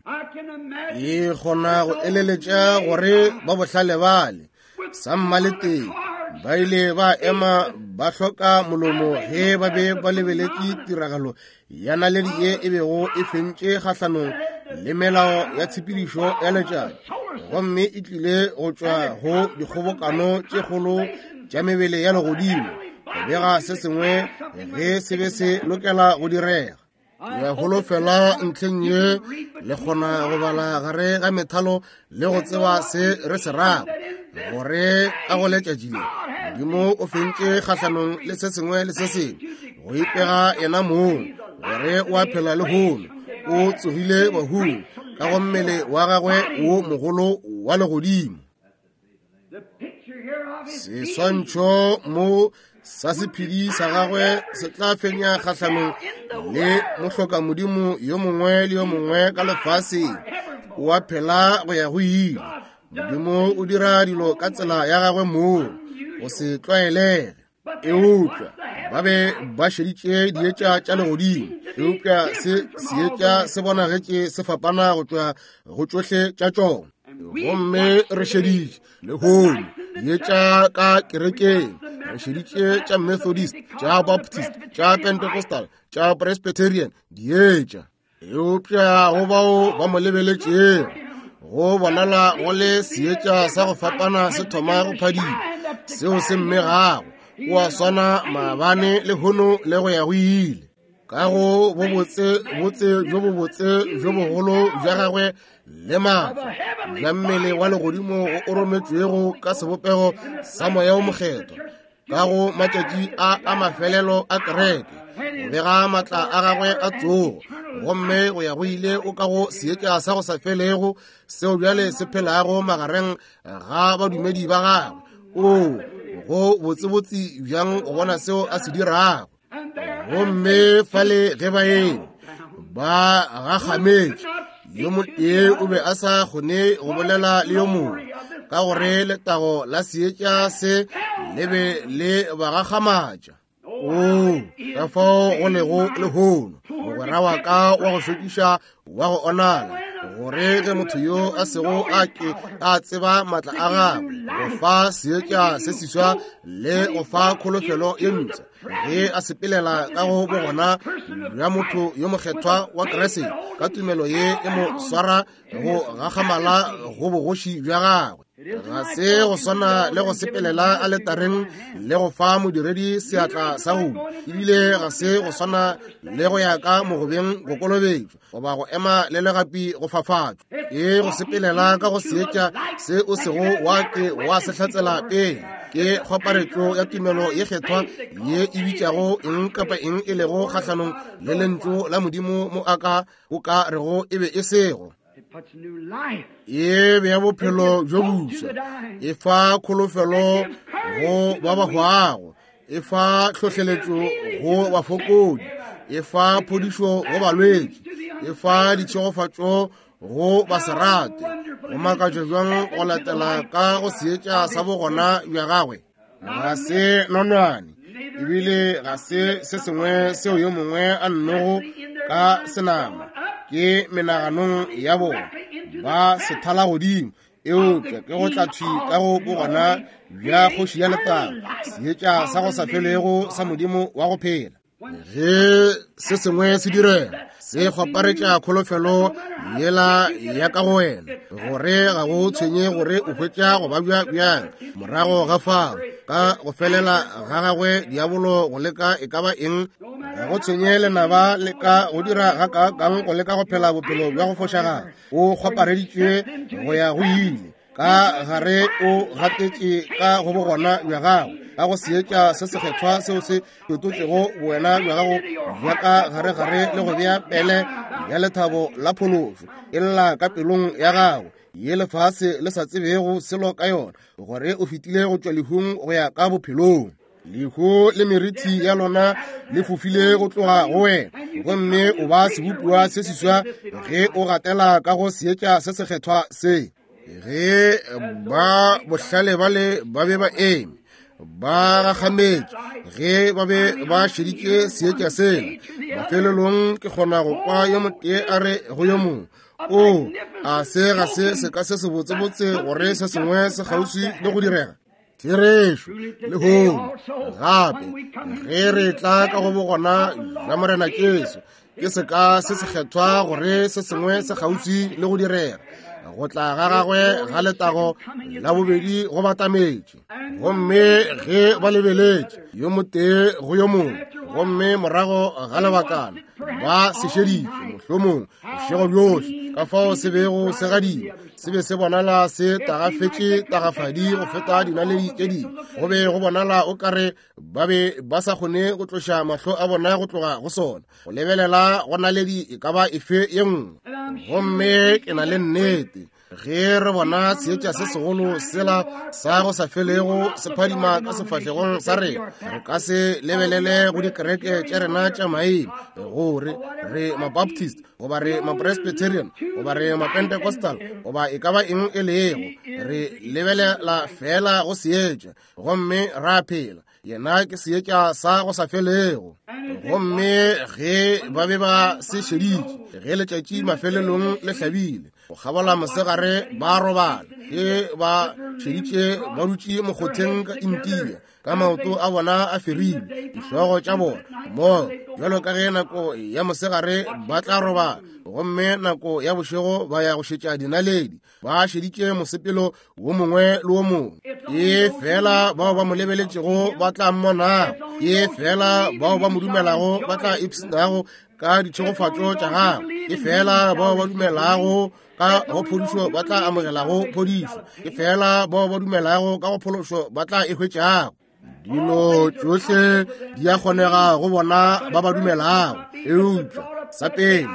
E kgona go eleletša gore ba bohlale bale sammaleteng ba ile ba ema ba hloka molomo ge ba be ba lebeletše tiragalo ya naledi ye e bego e fentše kgahlanong le melao ya tshepedišo ya letšatši, gomme e tlile go tšwa go dikgobokano tše kgolo tša mebele ya legodimo go bega se sengwe ge se be se lokela go direga. Ke a holofela ntlheng ye le kgona go bala gare ga methalo le go tseba se re se rago, gore ka go letšatši le Modimo o fentše kgahlanong le se sengwe le se sengwe go ipega yena mong gore o a phela lehono, o tsogile bahung ka go mmele wa gagwe wo mogolo wa legodimo. Seswantšho mo sa sephedi sa gagwe se tla fenya kgahlanong le mohloka Modimo yo mongwe le yo mongwe ka lefaseng. O a phela go ya go ile. Modimo o dira dilo ka tsela ya gagwe mong go se tlwaelege. Eupša ba be ba šeditše dietša tša legodimo, eupša se seetša se bonagetše se fapana go tšwa go tšohle tša tšona. Gomme re šeditše lehono dietša ka kerekeng, re šeditše tša Methodist, tša Baptist, tša Pentecostal, tša Presbyterian, dietša. Eupša go bao ba mo lebeletšego go bonala go le seetša sa go fapana se thoma go phadima, seo se mmegago o a swana maabane lehono le go ya go ile. Ka go bobotse botse bjo bobotse bjo bogolo bja gagwe le maatla bja mmele wa legodimo o rometšwego ka sebopego sa moya o mokgethwa ka go matšatši a a mafelelo a kereke, go bega maatla a gagwe a tsogo, gomme go ya go ile o ka go seetša sa go sa felego seo bjale se phelago magareng ga badumedi ba gagwe. O go botsebotse bjang go bona seo a se dirago. Gomme fale ge ba eme ba gagametše, yo motee o be a sa kgone go bolela le yo mongwe, ka gore letago la seetša se le be le ba gakgamatša. Oo, ka fao go lego lehono, mogwera wa ka wa go šokiša wa go onala, gore ge motho yo a sego a ke a tseba maatla a gagwe go fa seetša se seswa le go fa kholofelo ye mpsha, ge a sepelela ka go bogona bja motho yo mokgethwa wa Kriste ka tumelo ye e mo swara go gakgamala go bogoši bja gagwe. Ga se go swana le go sepelela aletareng le go fa modiredi seatla sa go, ebile ga se go swana le go ya ka mogobeng go kolobetšwa goba go ema le legapi go fafatšwa. Ke go sepelela ka go seetša se o sego wa ke wa se hlatsela pele. Ke kgwaparetšo ya tumelo ye kgethwa ye e bitšago eng kapa eng e lego kgahlanong le lentšu la Modimo mo a ka o ka rego e be e sego. E bea bophelo bjo boswa, e fa kholofelo go ba ba hwago, e fa tlhohleletšo go bafokodi, e fa phodišo go balwetši, e fa ditšhegofatšo go baserate. Go makatša bjang go latela ka go seetša sa bogona bja gagwe. Ga se nonwane, ebile ga se se sengwe seo yo mongwe a nnogo ka senama, ke menaganong ya bona ba se thala godimo, eupša ke go tla thwi ka go bogona bja kgoši ya letago, seetša sa go sa felego sa Modimo wa go phela. Ge se sengwe se direga, se kgwaparetša kholofelo yela ya ka go wena, gore ga go tshwenye gore o hwetša go babja bjang morago ga fao, ka go felela ga gagwe diabolo go leka e ka ba eng, ga go tshwenye lenaba le ka go dira ga kaakang go leka go phela bophelo bja go fošagala, o kgwapareditšwe go ya go ile. Ka gare o gatetše ka go bogona bja gago, ka go seetša se sekgethwa seo se fetotšego bowena bja gago bja ka gare-gare le go bea pele ya lethabo la phološo e lla ka pelong ya gago, ye lefase le sa tsebego selo ka yona, gore o fetile go tšwa lehung go ya ka bophelong. Lehu le meriti ya lona le fofile go tloga go wena, gomme o ba sebopiwa se seswa ge o gatela ka go seetša se sekgethwa se. Ge ba bohlale bale ba be ba eme ba gakgametše ge ba be ba šeditše seetša sela, mafelelong ke kgona go kwa yo motee a re go yo mongwe, o a se ga se seka se sebotsebotse gore se sengwe se kgauswi le go direga. Therešo lehono gape ge re tla ka go bogona bja Morena Jesu, ke seka se sekgethwa gore se sengwe se kgauswi le go direga. Go tla ga gagwe ga letago la bobedi go batametše, gomme ge ba lebeletše yo motee go yo mongwe, gomme morago ga lebakana ba se šeditše mohlomong bošego bjohle, ka fao se bego se gadima, se be se bonala se tagafetše tagafadi go feta dinaledi tše dingwe. Go be go bonala o kare ba be ba sa kgone go tloša mahlo a bona go tloga go sona, go lebelela go naledi e ka ba efe ye nngwe. Gomme ke na le nnete ge re bona seetša se segolo sela sa go sa felego se phadima ka sefahlegong sa rena, re ka se lebelele go dikereke tša rena tša maina, gore re Mabaptist goba re Mapresbyterian goba re Mapentecostal goba e ka ba eng e lego. Re lebelela fela go seetša gomme ra phela. Yena ke seetša sa go sa felego. Gomme ge ba be ba se šeditše, ge letšatši mafelelong le hlabile, go kgabola mosegare ba robala, ge ba šeditše ba dutše mokgotheng ka India, ka maoto a bona a ferilwe, dihlogo tša bona mo bjalo ka ge nako ya mosegare ba tla robala, gomme nako ya bošego ba ya go šetša dinaledi, ba šeditše mosepelo wo mongwe le wo mongwe. Ke fela bao ba mo lebeletšego ba tla mmonago, ke fela bao ba mo dumelago ba tla ipshinago ka ditšhegofatšo tša gagwe, ke fela bao ba dumelago ka go phodišo ba tla amogelago phodišo, ke fela bao ba dumelago ka go phološo ba tla e hwetšago. Dilo tšohle di a kgonega go bona ba ba dumelago, eupša sa pele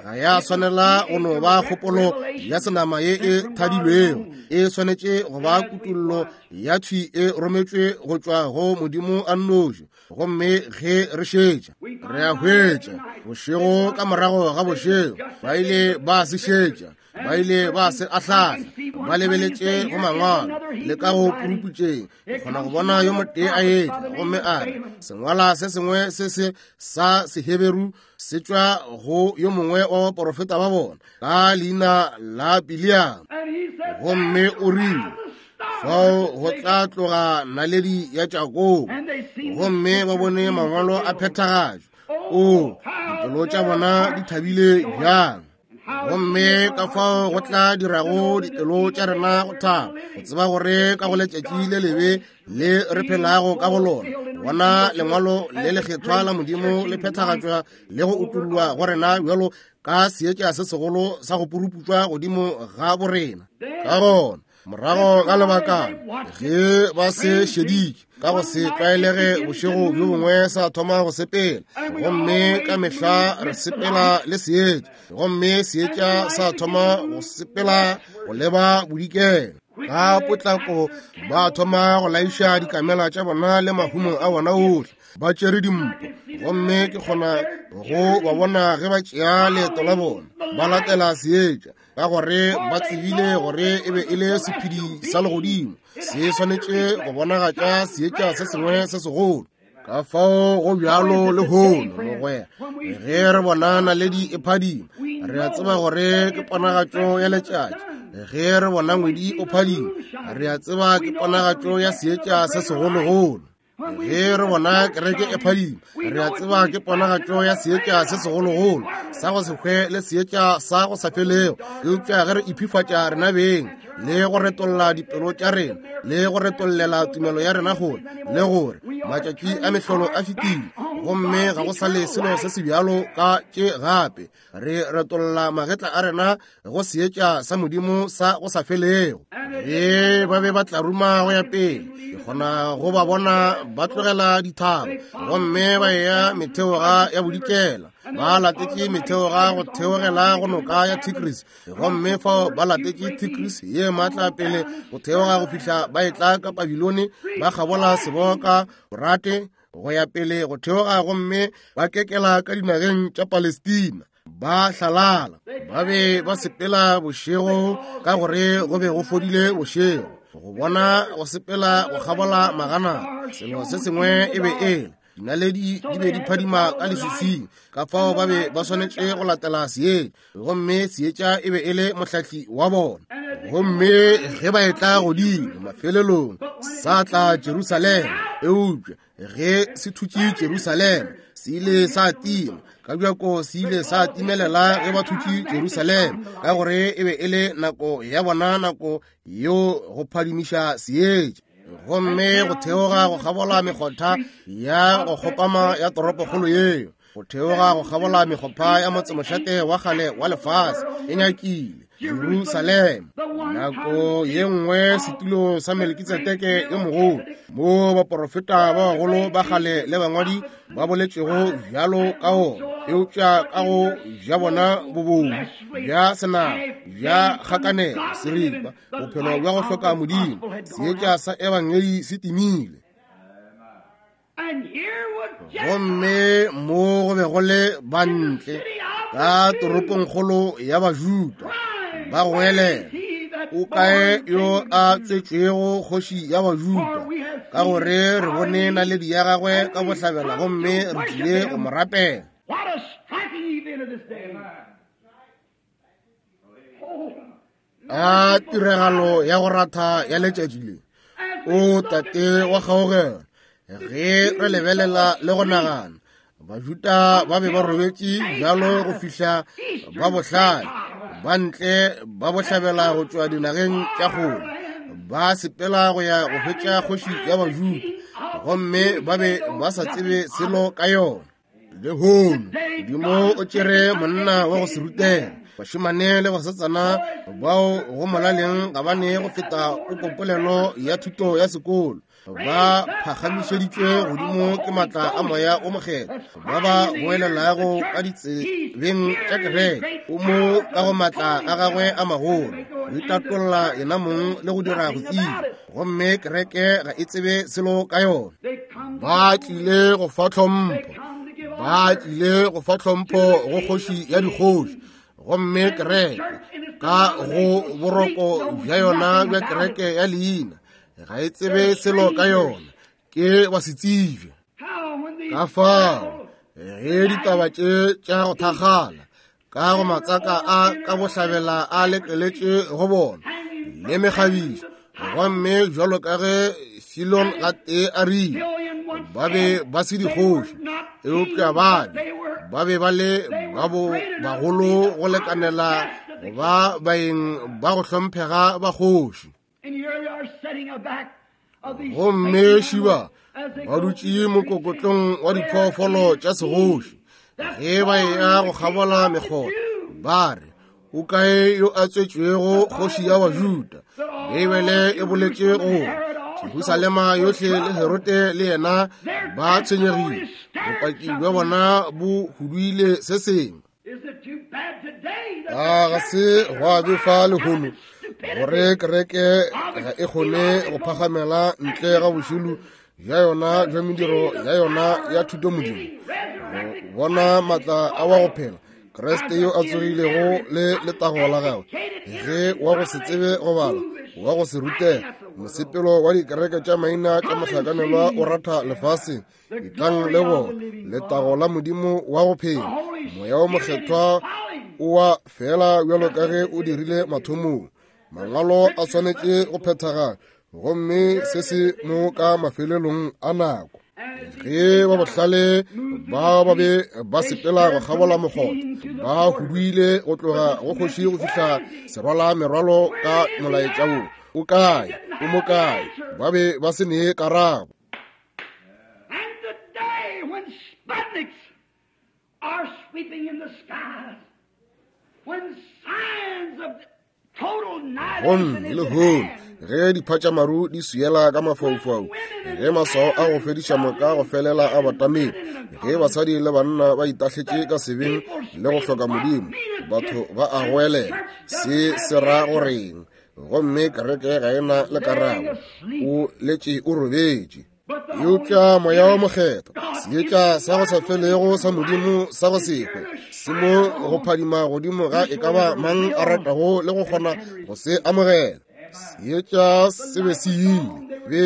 ga ya swanela go no ba kgopolo ya senama ye e thadilwego, e swanetše go ba kutollo ya thwi e rometšwe go tšwa go Modimo a nnoši. Gomme ge re šetša, re a hwetša bošego ka morago ga bošego ba ile ba se šetša, Ba ile ba se ahlahla, ba lebeletše go mangwalo le ka go puruputšeng. Ke kgona go bona yo motee a etla gomme a re, sengwala se sengwe se se sa Seheberu se tšwa go yo mongwe wa baporofeta ba bona ka leina la Biliam. Gomme o rile, fao go tla tloga naledi ya Jakobo. Gomme ba bone mangwalo a phethagatšwa. O, dipelo tša bona di thabile bjang. Gomme ka fao go tla dirago dipelo tša rena go thaba, go tseba gore ka go letšatši le lebe le re phelago ka go lona, bona lengwalo le lekgethwa la Modimo le phethagatšwa le go utollwa go rena bjalo ka seetša se segolo sa go puruputšwa godimo ga borena. Ka gona morago ga lebakana, ge ba se šeditše ka go se tlwaelege bošego bjo bongwe sa thoma go sepela, gomme ka mehla re sepela le seetša, gomme seetša sa thoma go sepela go leba bodikela. Ka potlako ba thoma go laiša dikamela tša bona le mahumo a bona ohle, ba tšere dimpho, gomme ke kgona go ba bona ge ba tšea leeto la bona ba latela seetša, ka gore ba tsebile gore e be e le sephedi sa legodimo se swanetše go bonagatša seetša se sengwe se segolo. Ka fao go bjalo lehono, mogwera, ge re bona naledi e phadima, re a tseba gore ke ponagatšo ya letšatši. Ge re bona ngwedi o phadima, re a tseba ke ponagatšo ya seetša se segologolo. Ge re bona kereke e phadima, re a tseba ke ponagatšo ya seetša se segologolo sa go se hwe le seetša sa go sa felego. Eupša ge re iphifatša rena beng le go retolla dipelo tša rena le go retollela tumelo ya rena gole, le gore matšatši a mehlolo a fetile gomme ga go sa le selo se se bjalo ka tše gape, re retolla magetla a rena go seetša sa Modimo sa go sa felego. Ge ba be ba tla ruma go ya pele, ke kgona go ba bona ba tlogela dithaba gomme ba ya metheoga ya bodikela, ba latetše metheoga go theogela go noka ya Tigris, gomme fao ba latetše Tigris ye maatla pele go theoga go fihla ba etla ka Babilone, ba kgabola seboka Borate go ya pele go theoga, gomme ba kekela ka dinageng tša Palestina. Ba hlalala, ba be ba sepela bošego ka gore go be go fodile bošego, go bona go sepela go kgabola magana. Selo se sengwe e be ele dinaledi di be di phadima ka leswiswing, ka fao ba be ba swanetše go latela seetša, gomme seetša e be e le mohlahli wa bona. Gomme ge ba etla godimo mafelelong sa tla Jerusalema, eupša ge se thutše Jerusalema se ile sa tima ka bjako, se ile sa timelela ge ba thutše Jerusalema, ka gore e be e le nako ya bona, nako yeo go phadimiša seetša. Gomme go theoga go kgabola mekgotha ya go kgopama ya toropokgolo yeo, go theoga go kgabola mekgopha ya motsemošate wa kgale wa lefase e nyakile Jerusalema. Nako ye nngwe setulo sa Melkitsedeke yo mogolo, mo baporofeta ba bagolo ba kgale le bangwadi ba boletšego bjalo ka ona, eupša ka go bja bona bobodu bja senaga bja kgakanelo seripa, bophelo bja go hloka Modimo, seetša sa ebangedi se timile. Gomme mo go be go le bantle ka toropongkgolo ya Bajuda ba goelela, o kae yo a tswetšwego kgoši ya Bajuda? Ka gore re bone naledi ya gagwe ka bohlabela gomme re tlile go mo rapela. A tiragalo ya go ratha ya letšatši le! O Tate wa kgaogelo, ge re lebelela le go nagana, Bajuda ba be ba robetše bjalo go fihla ba bohlale ba ntle ba bohlabela go tšwa dinageng tša kgole, ba sepela go ya go hwetša kgoši ya Bajuda, gomme ba be ba sa tsebe selo ka yona. Lehono Modimo o tšere monna wa go se rutega, bašemane le basetsana bao go molaleng ga ba ne go feta popopolelo ya thuto ya sekolo, ba phagamišeditšwe godimo ke maatla a moya o mokgethwa, ba ba goelelago ka ditsebeng tša kereke, o mo ka go maatla a gagwe a magolo go itatolla yena mong le go dira go tseba, gomme kereke ga e tsebe selo ka yona. Ba tlile go fa tlhompho, ba tlile go fa tlhompho go kgoši ya dikgoši, gomme kereke Ka go boroko bja yona bja kereke ya leina, ga e tsebe selo ka yona, ke wa se tsebe. Ka fao ge ditaba tše tša go thakgala ka go matsaka a ka bohlabela a lekeletše go bona le mekgabišo, gomme bjalo ka ge Filon gatee a rile, ba be ba se dikgoši, eupša ba be ba be ba le ba bo bagolo go lekanela go ba baeng ba go hlomphega ba kgoši. Gomme šiba ba dutše mokokotlong wa diphoofolo tša segoši, ge ba eya go kgabola mekgotha, ba re, o kae yo a tswetšwego kgoši ya Bajuda? Beibele e boletše gore Jerusalema yohle le Herode le yena ba tshwenyegile, bopaki bja bona bo huduile se sengwe. A ga se gwa befa lehono gore kereke ga e kgone go phagamela ntle ga bošilo bja yona bja mediro ya yona ya thutomodimo, go bona maatla a wa go phela Kriste yo a tsogilego le letago la gagwe, ge wa go se tsebe go bala, wa go se rutega, mosepelo wa dikereke tša maina tša mohlakanelwa o ratha lefaseng. Etlang le bona letago la Modimo wa go phela. Moya wo Mokgethwa o wa fela bjalo ka ge o dirile mathomong. Mangwalo a swanetše go phethagala, gomme se se mo ka mafelelong a nako. Ge ba bohlale ba ba be ba sepela go kgabola mokgotha, ba huduile go tloga go kgoši go fihla serwala merwalo ka molaetša wo, o kae, o mo kae? Ba be ba se nee karabo. And today when Sputniks are sweeping in the skies, when signs of total Gomme annihilation is at lehono hand, ge diphatšamaru di swiela ka mafaufau, ge maswao a go fediša moka go felela a batamile, ge basadi le banna ba itahletše ka sebeng le go hloka Modimo, batho ba a goelela, se se ra goreng? Gomme kereke ga e na le karabo, o letše o robetše. Eupša Moya wo Mokgethwa, seetša sa go sa felego sa Modimo sa go se hwe, se mo go phadima godimo ga e ka ba mang a ratago le go kgona go se amogela. Seetša se be se ile, be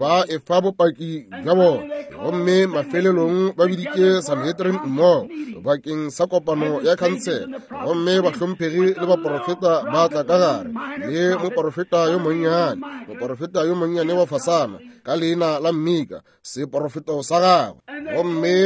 ba efa bopaki bja bona, gomme mafelelong ba biditše Sanhedrin mmogo bakeng sa kopano ya khansele, gomme bahlomphegi le baporofeta ba tla ka gare, le moporofeta yo monnyane, moporofeta yo monnyane wa fasana ka leina la Mmika, seporofeto sa gagwe. Gomme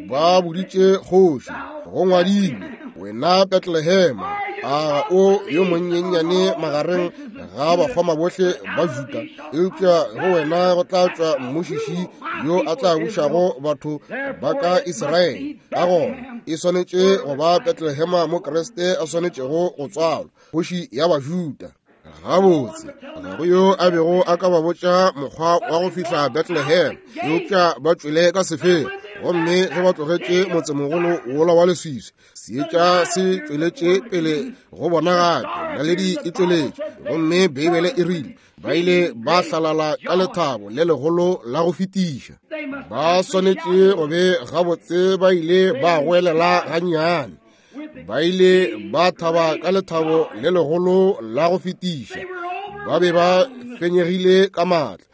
ba boditše kgoši, go ngwadilwe, wena Bethlehema, a o yo monyenyane magareng ga bakgoma bohle ba Juda, eupša go wena go tla tšwa mmušiši yo a tla bušago batho ba ka Israele. Ka gona e swanetše go ba Bethlehema mo Kriste a swanetšego go tswalwa, kgoši ya Bajuda. Gabotse, ga go yo a bego a ka ba botša mokgwa wa go fihla Bethlehem, eupša ba tšwele ka sefela. Gomme ge ba tlogetše motsemogolo wola wa leswiswi, seetša se tšweletše pele go bona gape, naledi e tšweletše. Gomme Beibele e rile ba ile ba hlalala ka lethabo le legolo la go fetiša. Ba swanetše go be gabotse ba ile ba goelela gannyane, ba ile ba thaba ka lethabo le legolo la go fetiša. Ba be ba fenyegile ka maatla.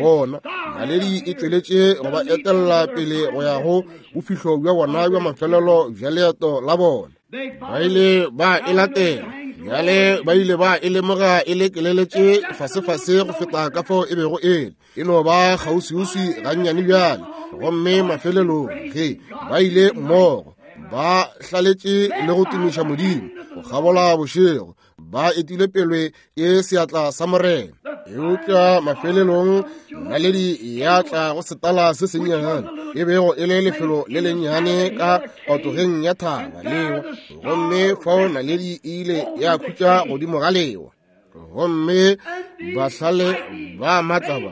Bona naledi e tšweletše go ba etella pele go ya go bofihlo bja bona bja mafelelo bja leeto la bona. Ba ile ba e latela, bjale ba ile ba e lemoga e lekeleletše fasefase go feta ka fao e bego e le, e no ba kgauswiuswi gannyane bjale. Gomme mafelelong ge ba ile mmogo, ba hlaletše le go tumiša Modimo go kgabola bošego, ba etile pele ke seatla sa Morena. Eupša mafelelong naledi ya tla go setala se sennyane, e bego e le lefelo le lennyane ka patogeng ya thaba leo, gomme fao naledi e ile ya khutša godimo ga lewa. Gomme bahlale ba matla ba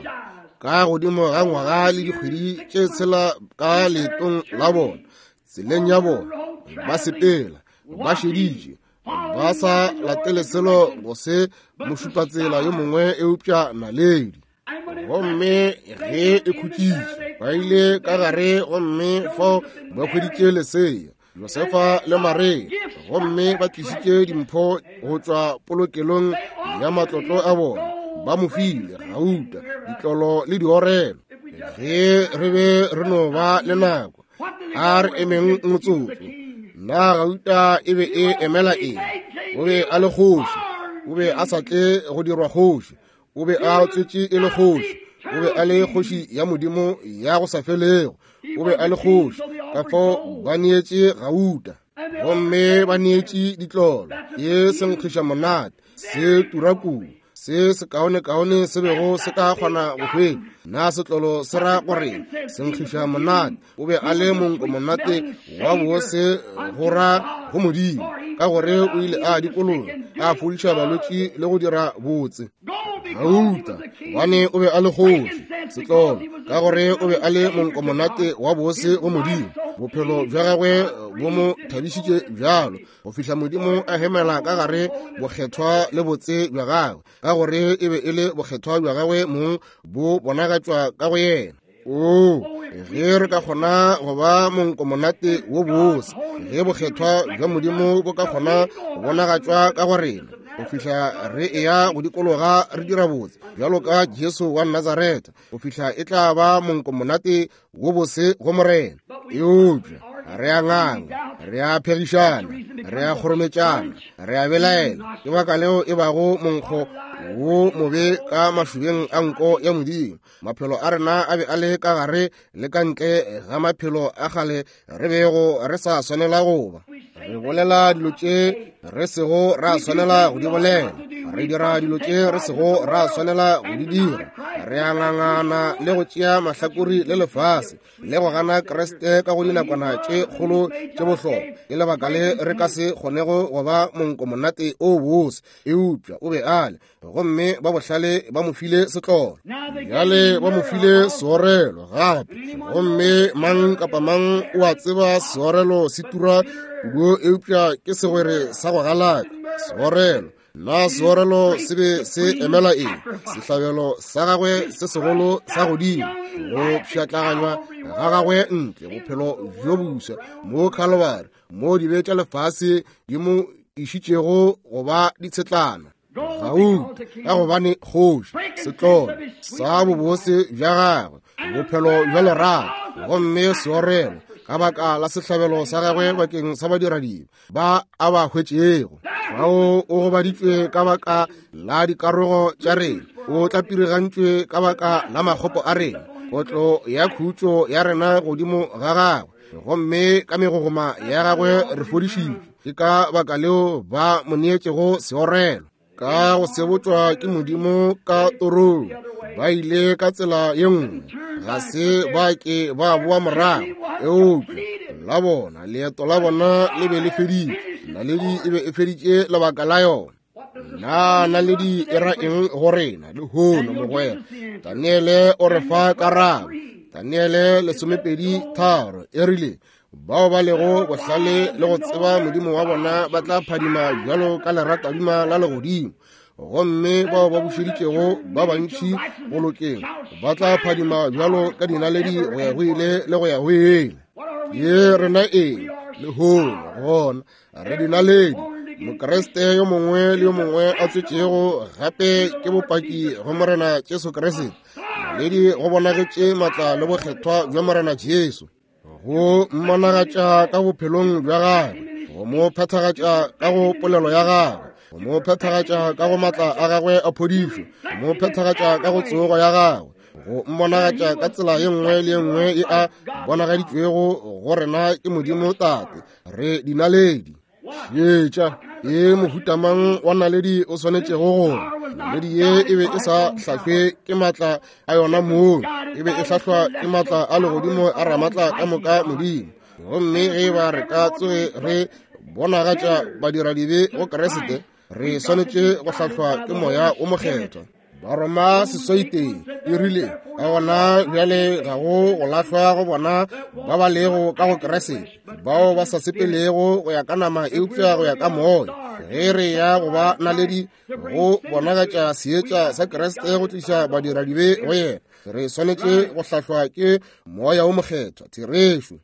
ka godimo ga ngwaga le dikgwedi tše tshela ka leetong la bona, tseleng ya bona, ba sepela ba šeditše, ba sa latele selo go se mošupatsela yo mongwe eupša naledi. Gomme ge e khutšitše, ba ile ka gare, gomme fao ba hweditše lesea, Josefa le Maria. Gomme ba tlišitše dimpho go tšwa polokelong ya matlotlo a bona. Ba mo file gauta, ditlolo le diorelo. Ge re be re no ba le nako, a re emeng motsotso. Na gauta e be e emela eng? O be a le kgoši. O be a sa tle go dirwa kgoši. O be a tswetše e le kgoši. O be a le kgoši ya Modimo ya go sa felego. O be a le kgoši. Ka fao ba neetše gauta, gomme ba neetše ditlolo. Ke senkgiša monate, se tura kudu, se sekaonekaone se bego se ka kgona go hwetša. Na setlolo se ra gore senkgiša monate? O be a le monko monate wa bose go ra go Modimo, ka gore o ile a dikologa, a fodiša balwetši le go dira botse. Gauta, gobane o be a le kgoši. Setlolo, ka gore o be a le monko monate wa bose go Modimo. Bophelo bja gagwe bo mo thabišitše bjalo go fihla Modimo a hemela ka gare bokgethwa le botse bja gagwe, ka gore e be e le bokgethwa bja gagwe mong bo bonagatšwa ka go yena. O, ge re ka kgona go ba monko monate wo bose, ge bokgethwa bja Modimo bo ka kgona go bonagatšwa ka go rena, go fihla re eya go dikologa re dira botse bjalo ka Jesu wa Nazaretha, go fihla e tla ba monko monate wo bose go Morena. Eupša re a nganga, re a phegišana, re a kgorometšana, re a belaela. Ke baka leo e bago monkgo wo mobe ka mašobeng a nko ya Modimo. Maphelo a rena a be a le ka gare le ka ntle ga maphelo a kgale re bego re sa swanela go ba. Re bolela dilo tše re sego ra swanela go di bolela, re dira dilo tše re sego ra swanela go di dira. Re a ngangana le go tšea mahlakori le lefase, le go gana Kriste ka go dinakwana tše kgolo tše bohlokwa. Ke lebaka le re ka se kgonego go ba monko monate o bose. Eupša o be a le, gomme ba bohlale ba mo file setlolo. Bjale ba mo file seorelo gape, gomme mang kapa mang o a tseba seorelo se tura kudu, eupša ke segwere sa go galaka. Seorelo, na seorelo se be se emela eng? Sehlabelo sa gagwe se segolo sa godimo, go pšhatlaganywa ga gagwe ntle, bophelo bjo boswa mo Calvary, mo dibe tša lefase di mo išitšego go ba ditshetlana. Gauta, ka gobane kgoši, setlolo sa bobose bja gagwe, bophelo bja lerato, gomme seorelo ka baka la sehlabelo sa gagwe bakeng sa badiradibe ba a ba hwetšego. Fao o gobaditšwe ka baka la dikarogo tša rena, o tlapirigantšwe ka baka la makgopo a rena. Kotlo ya khutšo ya rena godimo ga gagwe, gomme ka megogoma ya gagwe re fodišitšwe. Ke ka baka leo ba mo neetšego seorelo. Ka go sebotšwa ke Modimo ka torong, ba ile ka tsela ye nngwe, ga se ba ke ba boa morago. Eupša la bona leeto la bona le be le feditše. Naledi e be e feditše lebaka la yona. Na naledi e ra eng go rena lehono, mogwera? Daniele o re fa karabo. Daniele lesomepedi tharo e rile, bao ba lego bohlale le go tseba Modimo wa bona ba tla phadima bjalo ka leratadima la legodimo, gomme bao ba bušeditšego ba bantši go lokeng ba tla phadima bjalo ka dinaledi go ya go ile le go ya go ile. Ye rena eng lehono? Gona re dinaledi. Mokriste yo mongwe le yo mongwe a tswetšego gape ke bopaki go Morena Jesu Kriste. Naledi go bonagetše matla le bokgethwa bja Morena Jesu, go mmonagatša ka bophelong bja gagwe, go mo phethagatša ka go polelo ya gagwe, go mo phethagatša ka go matla a gagwe a phodišo, go mo phethagatša ka go tsogo ya gagwe, go mmonagatša ka tsela ye nngwe le ye nngwe e a bonagaditšwego go rena ke Modimo Tate. Re dinaledi. Šetša e mohutamang wa naledi o swanetšego go. Naledi ye e be e sa hlahlwe ke matla a yona mong, e be e hlahlwa ke matla a legodimo a ramatla ka moka Modimo. Gomme ge ba re ka tsoge re bonagatša badiradibe go Kriste, re swanetše go hlahlwa ke Moya o Mokgethwa. Baroma seswaiteng e rile, ka gona bjale ga go go lahlwa go bona ba ba lego ka go Kriste, bao ba sa sepelego go ya ka nama eupša go ya ka moya. Ge re ya go ba naledi go bonagatša seetša sa Kriste go tliša badiradibe go yena, re swanetše go hlahlwa ke Moya wo Mokgethwa, therešo.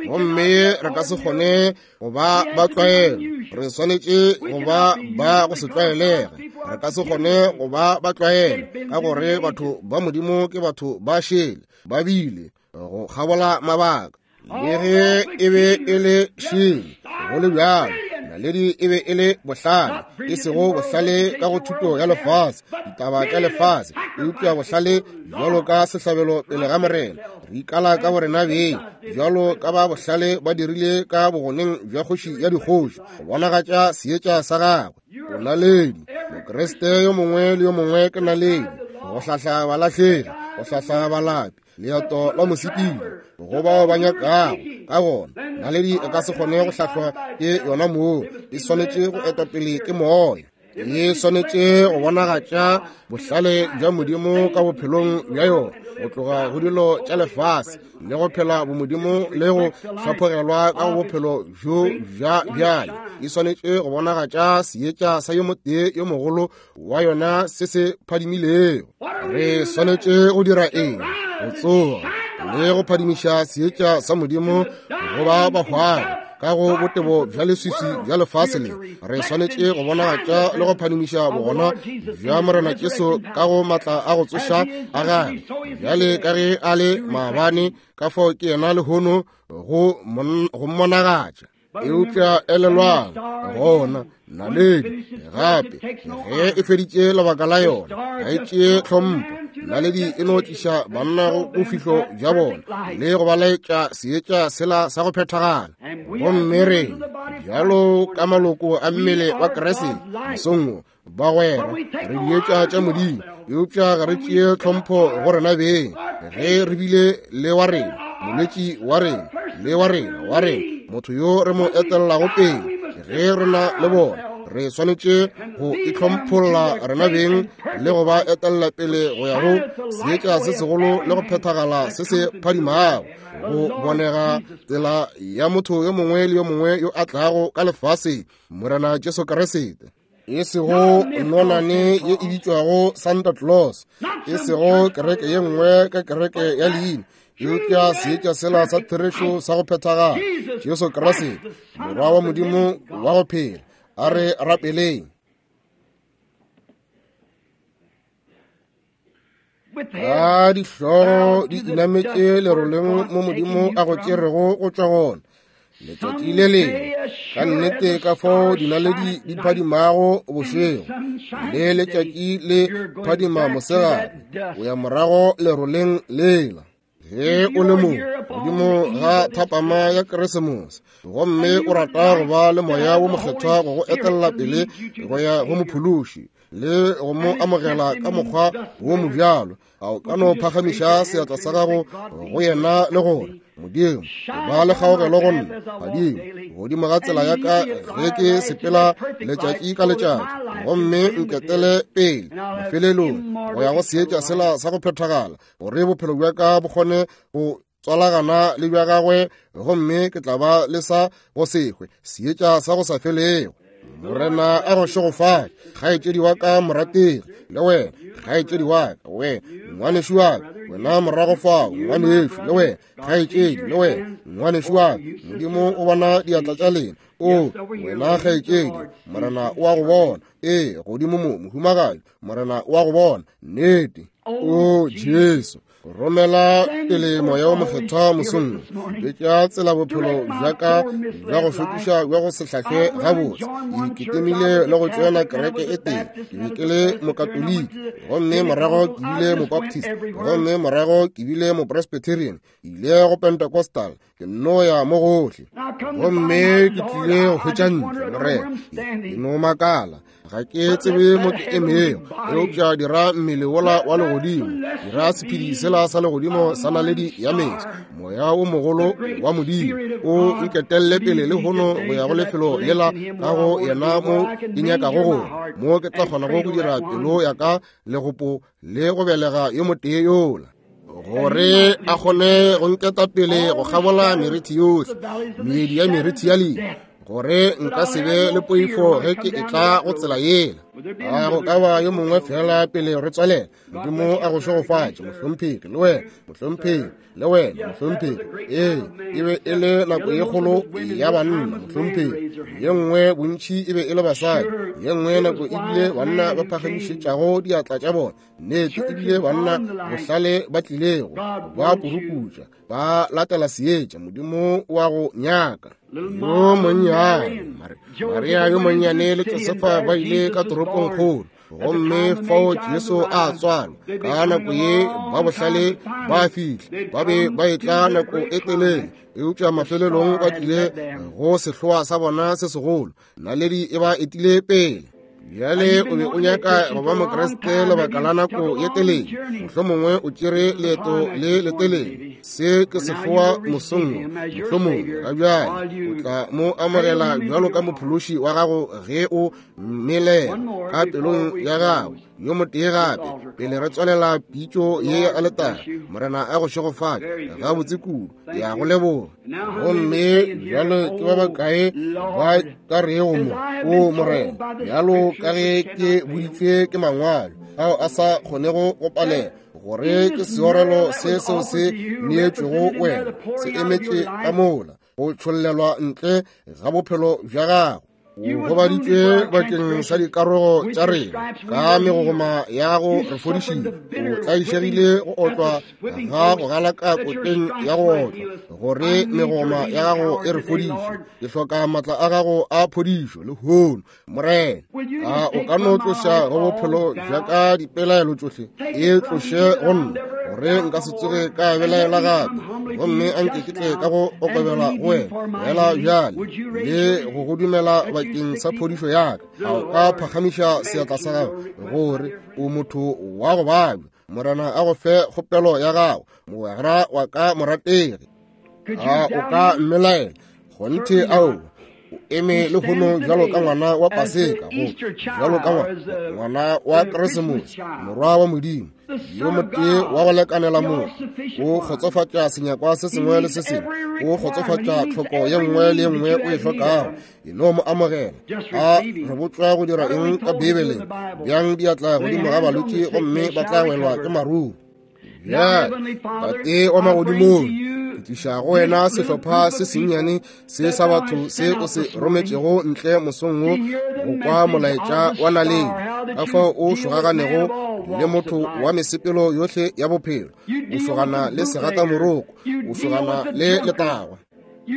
Gomme re ka se kgone go ba ba tlwaelo, re swanetše go ba ba go se tlwaelege. Re ka se kgone go ba ba tlwaelo, ka gore batho ba Modimo ke batho ba šele, ba bile go kgabola mabaka. Le ge e be e le šele, go le bjalo naledi e be e le bohlale, e sego bohlale ka go thuto ya lefase, ditaba tša lefase, eupša bohlale bjalo ka sehlabelo pele ga Morena. Re ikala ka borena beng bjalo ka ba bohlale ba dirile ka bogoneng bja kgoši ya dikgoši, go bonagatša seetša sa gagwe. O naledi, Mokriste yo mongwe le yo mongwe ke naledi, go hlahla balahlegi, go hlahla balapi, leeto la mosepedi go bao ba nyakago. Ka gona naledi e ka se kgone go hlahlwa ke yona moo, e swanetše go etwa pele ke Moya. E swanetše go bonagatša bohlale bja Modimo ka bophelong bja yona, go tloga go dilo tša lefase le go phela bomodimo le go hlaphogelwa ka go bophelo bjo bja bjale. E swanetše go bonagatša seetša sa yo motee yo mogolo wa yona se se phadimilego. Re swanetše go dira eng? Go tsoga le go phadimiša seetša sa Modimo go ba bahwang ka go botebo bja leswiswi bja lefase le. Re swanetše go bonagatša le go phadimiša bogona bja Morena Jesu ka go matla a go tsoša a gagwe, bjale ka ge a le maabane, ka fao ke yena lehono go mmonagatša. Eupša elelwang, gona naledi gape ge e feditše lebaka la yona, ga e tšee tlhompho. Naledi e no tliša banna go bofihlo bja bona le go ba laetša seetša sela sa go phethagala. Gomme re bjalo ka maloko a mmele wa Kriste mosong wo, bagwera, re dietša tša Modimo, eupša ga re tšee tlhompho go rena beng. Ge re bile le wa rena, molwetši wa rena, le wa rena, wa rena, motho yo re mo etellago pele, ge re na le bona, re swanetše go itlhompholla rena beng le go ba etella pele go ya go seetša se segolo le go phethagala se se phadimago, go bonega tsela ya motho yo mongwe le yo mongwe yo a tlago ka lefase, Morena Jesu Kriste. E sego nonane ye e bitšwago Santa Claus, e sego kereke ye nngwe ka kereke ya leina, eupša seetša sela sa therešo sa go phethagala, Jesu Kriste, Morwa wa Modimo wa go phela. A re rapeleng. Ka dihlogo di inametše leroleng mo Modimo a go tšerego go tšwa gona letšatši le lengwe, ka nnete ka fao dinaledi di phadimago bošego le letšatši le phadima mosegare, o ya morago leroleng lela. Ge o le mo godimo ga thapama ya Keresemose, gomme o rata go ba le Moya wo Mokgethwa go go etella pele go ya go mophološi le go mo amogela ka mokgwa wo mobjalo, a o ka no phagamiša seatla sa gago go yena le gore, Modimo, ba le kgaogelo go nna, phadimo godimo ga tsela ya ka ge ke sepela letšatši ka letšatši, gomme nketele pele mafelelong go ya go seetša sela sa go phethagala, gore bophelo bja ka bo kgone go tswalagana le bja gagwe, gomme ke tla ba le sa go se hwe, seetša sa go sa felego. Morena a go šegofatše, kgaetšedi wa ka morategi, le wena kgaetšedi wa ka, wena ngwanešu wa ka, wena morago fao ngwanešu, le wena kgaetšedi, le wena ngwanešu wa ka. Modimo o bona diatla tša lena. O wena kgaetšedi, Morena o a go bona. Ee, godimo mo mohumagadi, Morena o a go bona. Nnete. O Jesu, romela pele Moya wo Mokgethwa mosong, betša tsela bophelo bja ka bja go šokiša bja go se hlahlwe gabotse. Ke iketemile le go tšoena kereke e tee. Ke be ke le Mokatoliki, gomme morago ke bile Mobaptist, gomme morago ke bile Mopresbyterian, ke ile go Pentecostal, ke nno ya mo gohle, gomme ke tlile go hwetša ntle. Morena, ke no makala, ga ke tsebe mo ke emego, eupša dira mmele wola wa legodimo, dira sephedi sela sa legodimo sa naledi ya meso, Moya wo mogolo wa Modimo o nketelle pele lehono go ya go lefelo lela ka go yena mo ke nyakago gore mo ke tla kgonago go dira pelo ya ka legopo le go belega yo motee yola, gore a kgone go nketa pele go kgabola merithi yohle, meedi ya merithi ya lehu, gore nka se be le poifo ge ke etla go tsela yela. A go ka ba yo mongwe fela pele re tswalela. Modimo a go šegofatše, mohlomphegi, le wena, mohlomphegi, le wena, mohlomphegi. Ee, e be e le nako ye kgolo ya banna, mohlomphegi. Ye nngwe bontši e be e le basadi, ye nngwe nako e bile banna ba phagamišetšago diatla tša bona. Nnete e bile banna bohlale ba tlilego, ba puruputša, ba latela seetša. Modimo wa go nyaka. Yo monnyane Maria yo monnyane le Josefa ba ile ka toropong kgolo, gomme fao Jesu a tswalwa. Ka nako ye ba bohlale ba fihla, ba be ba etla nako e telele, eupša mafelelong ba tlile go sehloa sa bona se segolo. Naledi e ba etile pele. Bjale o be o nyaka go ba Mokriste lebaka la nako ye telele, mohlomongwe o tšere leeto le letelele. Se ke sehloa mosong, mohlomongwe ga bjale o tla mo amogela bjalo ka mophološi wa gago ge o mmelela ka pelong ya gago. Yo motee gape pele re tswalela pitšo ye ya aletare. Morena a go šegofatše gabotse kudu, ke a go leboga. Gomme bjalo ke ba bakae ba ka rego mo, o Morena, bjalo ka ge ke boditšwe ke mangwalo ao a sa kgonego go palela, gore ke seorelo se seo se neetšwego wena se emetše ka mola go tšhollelwa ntle ga bophelo bja gago. O gobaditšwe bakeng sa dikarogo tša rena, ka megogoma ya go re fodišile. O tlaišegile go otlwa ga go galaka koteng ya go otlwa, gore megogoma ya gago e re fodiše. Ke hloka maatla a gago a phodišo lehono, Morena. A o ka no tloša go bophelo bja ka dipelaelo tšohle, e tloše go nna, gore nka se tsoge ka belaela gape. Gomme anke ke tle ka go okobela go wena fela bjale le go go dumela bakeng sa phodišo ya ka. A o ka phagamiša seatla sa gago gore o motho wa go babja? Morena a go fe kgopelo ya gago, mogwera wa ka morategi. A o ka mmelaela? Kgonthe ao o eme lehono bjalo ka ngwana wa Paseka, go bjalo ka ngwana wa Keresemose, morwa wa Modimo, yo motee wa go lekanela motho. O kgotsofatša senyakwa se sengwe le se sengwe, o kgotsofatša tlhoko ye nngwe le ye nngwe o e hlokago. E no mo amogela. A re botšwa go dira eng ka Beibeleng? Bjang diatla godimo ga balwetši gomme ba tla welwa ke maruo. Bjale, Tate wa magodimong, ke tliša go wena sehlopha se sennyane se sa batho se o se rometšego ntle mosong wo go kwa molaetša wa naledi, ka fao o šogaganego le motho wa mesepelo yohle ya bophelo. O šogana le segatamoroko, o šogana le letagwa,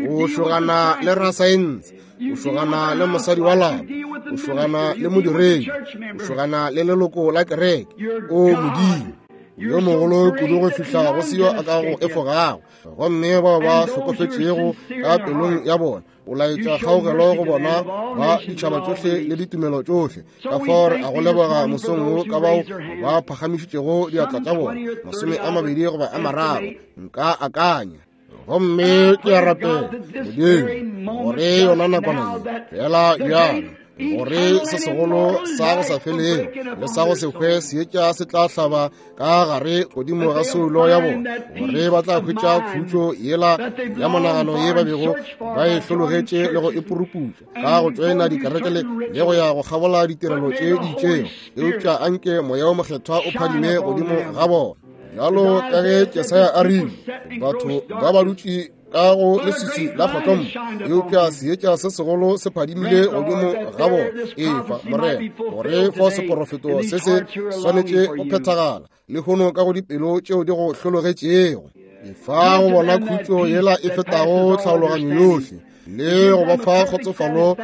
o šogana le rasaense, o šogana le mosadi wa lapa, o šogana le modiredi, o šogana le leloko la kereke. O Modimo yo mogolo kudu go fihla go seo a ka go efogago. Gomme bao ba hlokofetšego ka pelong ya bona, o laetša kgaogelo go bona ba ditšhaba tšohle le ditumelo tšohle. Ka fao re a go leboga mosong wo ka bao ba phagamišitšego diatla tša bona, masome a mabedi goba a mararo, nka akanya. Gomme ke a rapela, Modimo, gore yona nakwana ye fela bjalo, gore se segolo sa go sa felego le sa go se hwe seetša se tla hlaba ka gare godimo ga soulo ya bona, gore ba tla hwetša khutšo yela ya monagano ye ba bego ba e hlologetše le go e puruputša ka go tšoena dikereke le go ya go kgabola ditirelo tše di itšego. Eupša anke Moya wo Mokgethwa o phadime godimo ga bona, bjalo ka ge Jesaya a rile, batho ba ba dutše ka go leswiswi la kgotlommo, eupša seetša se segolo se phadimile godimo ga bona. Efa, Morena, gore fao seporofeto se se swanetše go phethagala lehono ka go dipelo tšeo di go hlologetšego. Efa go bona khutšo yela e fetago tlhaologanyo yohle, le go ba fa kgotsofalo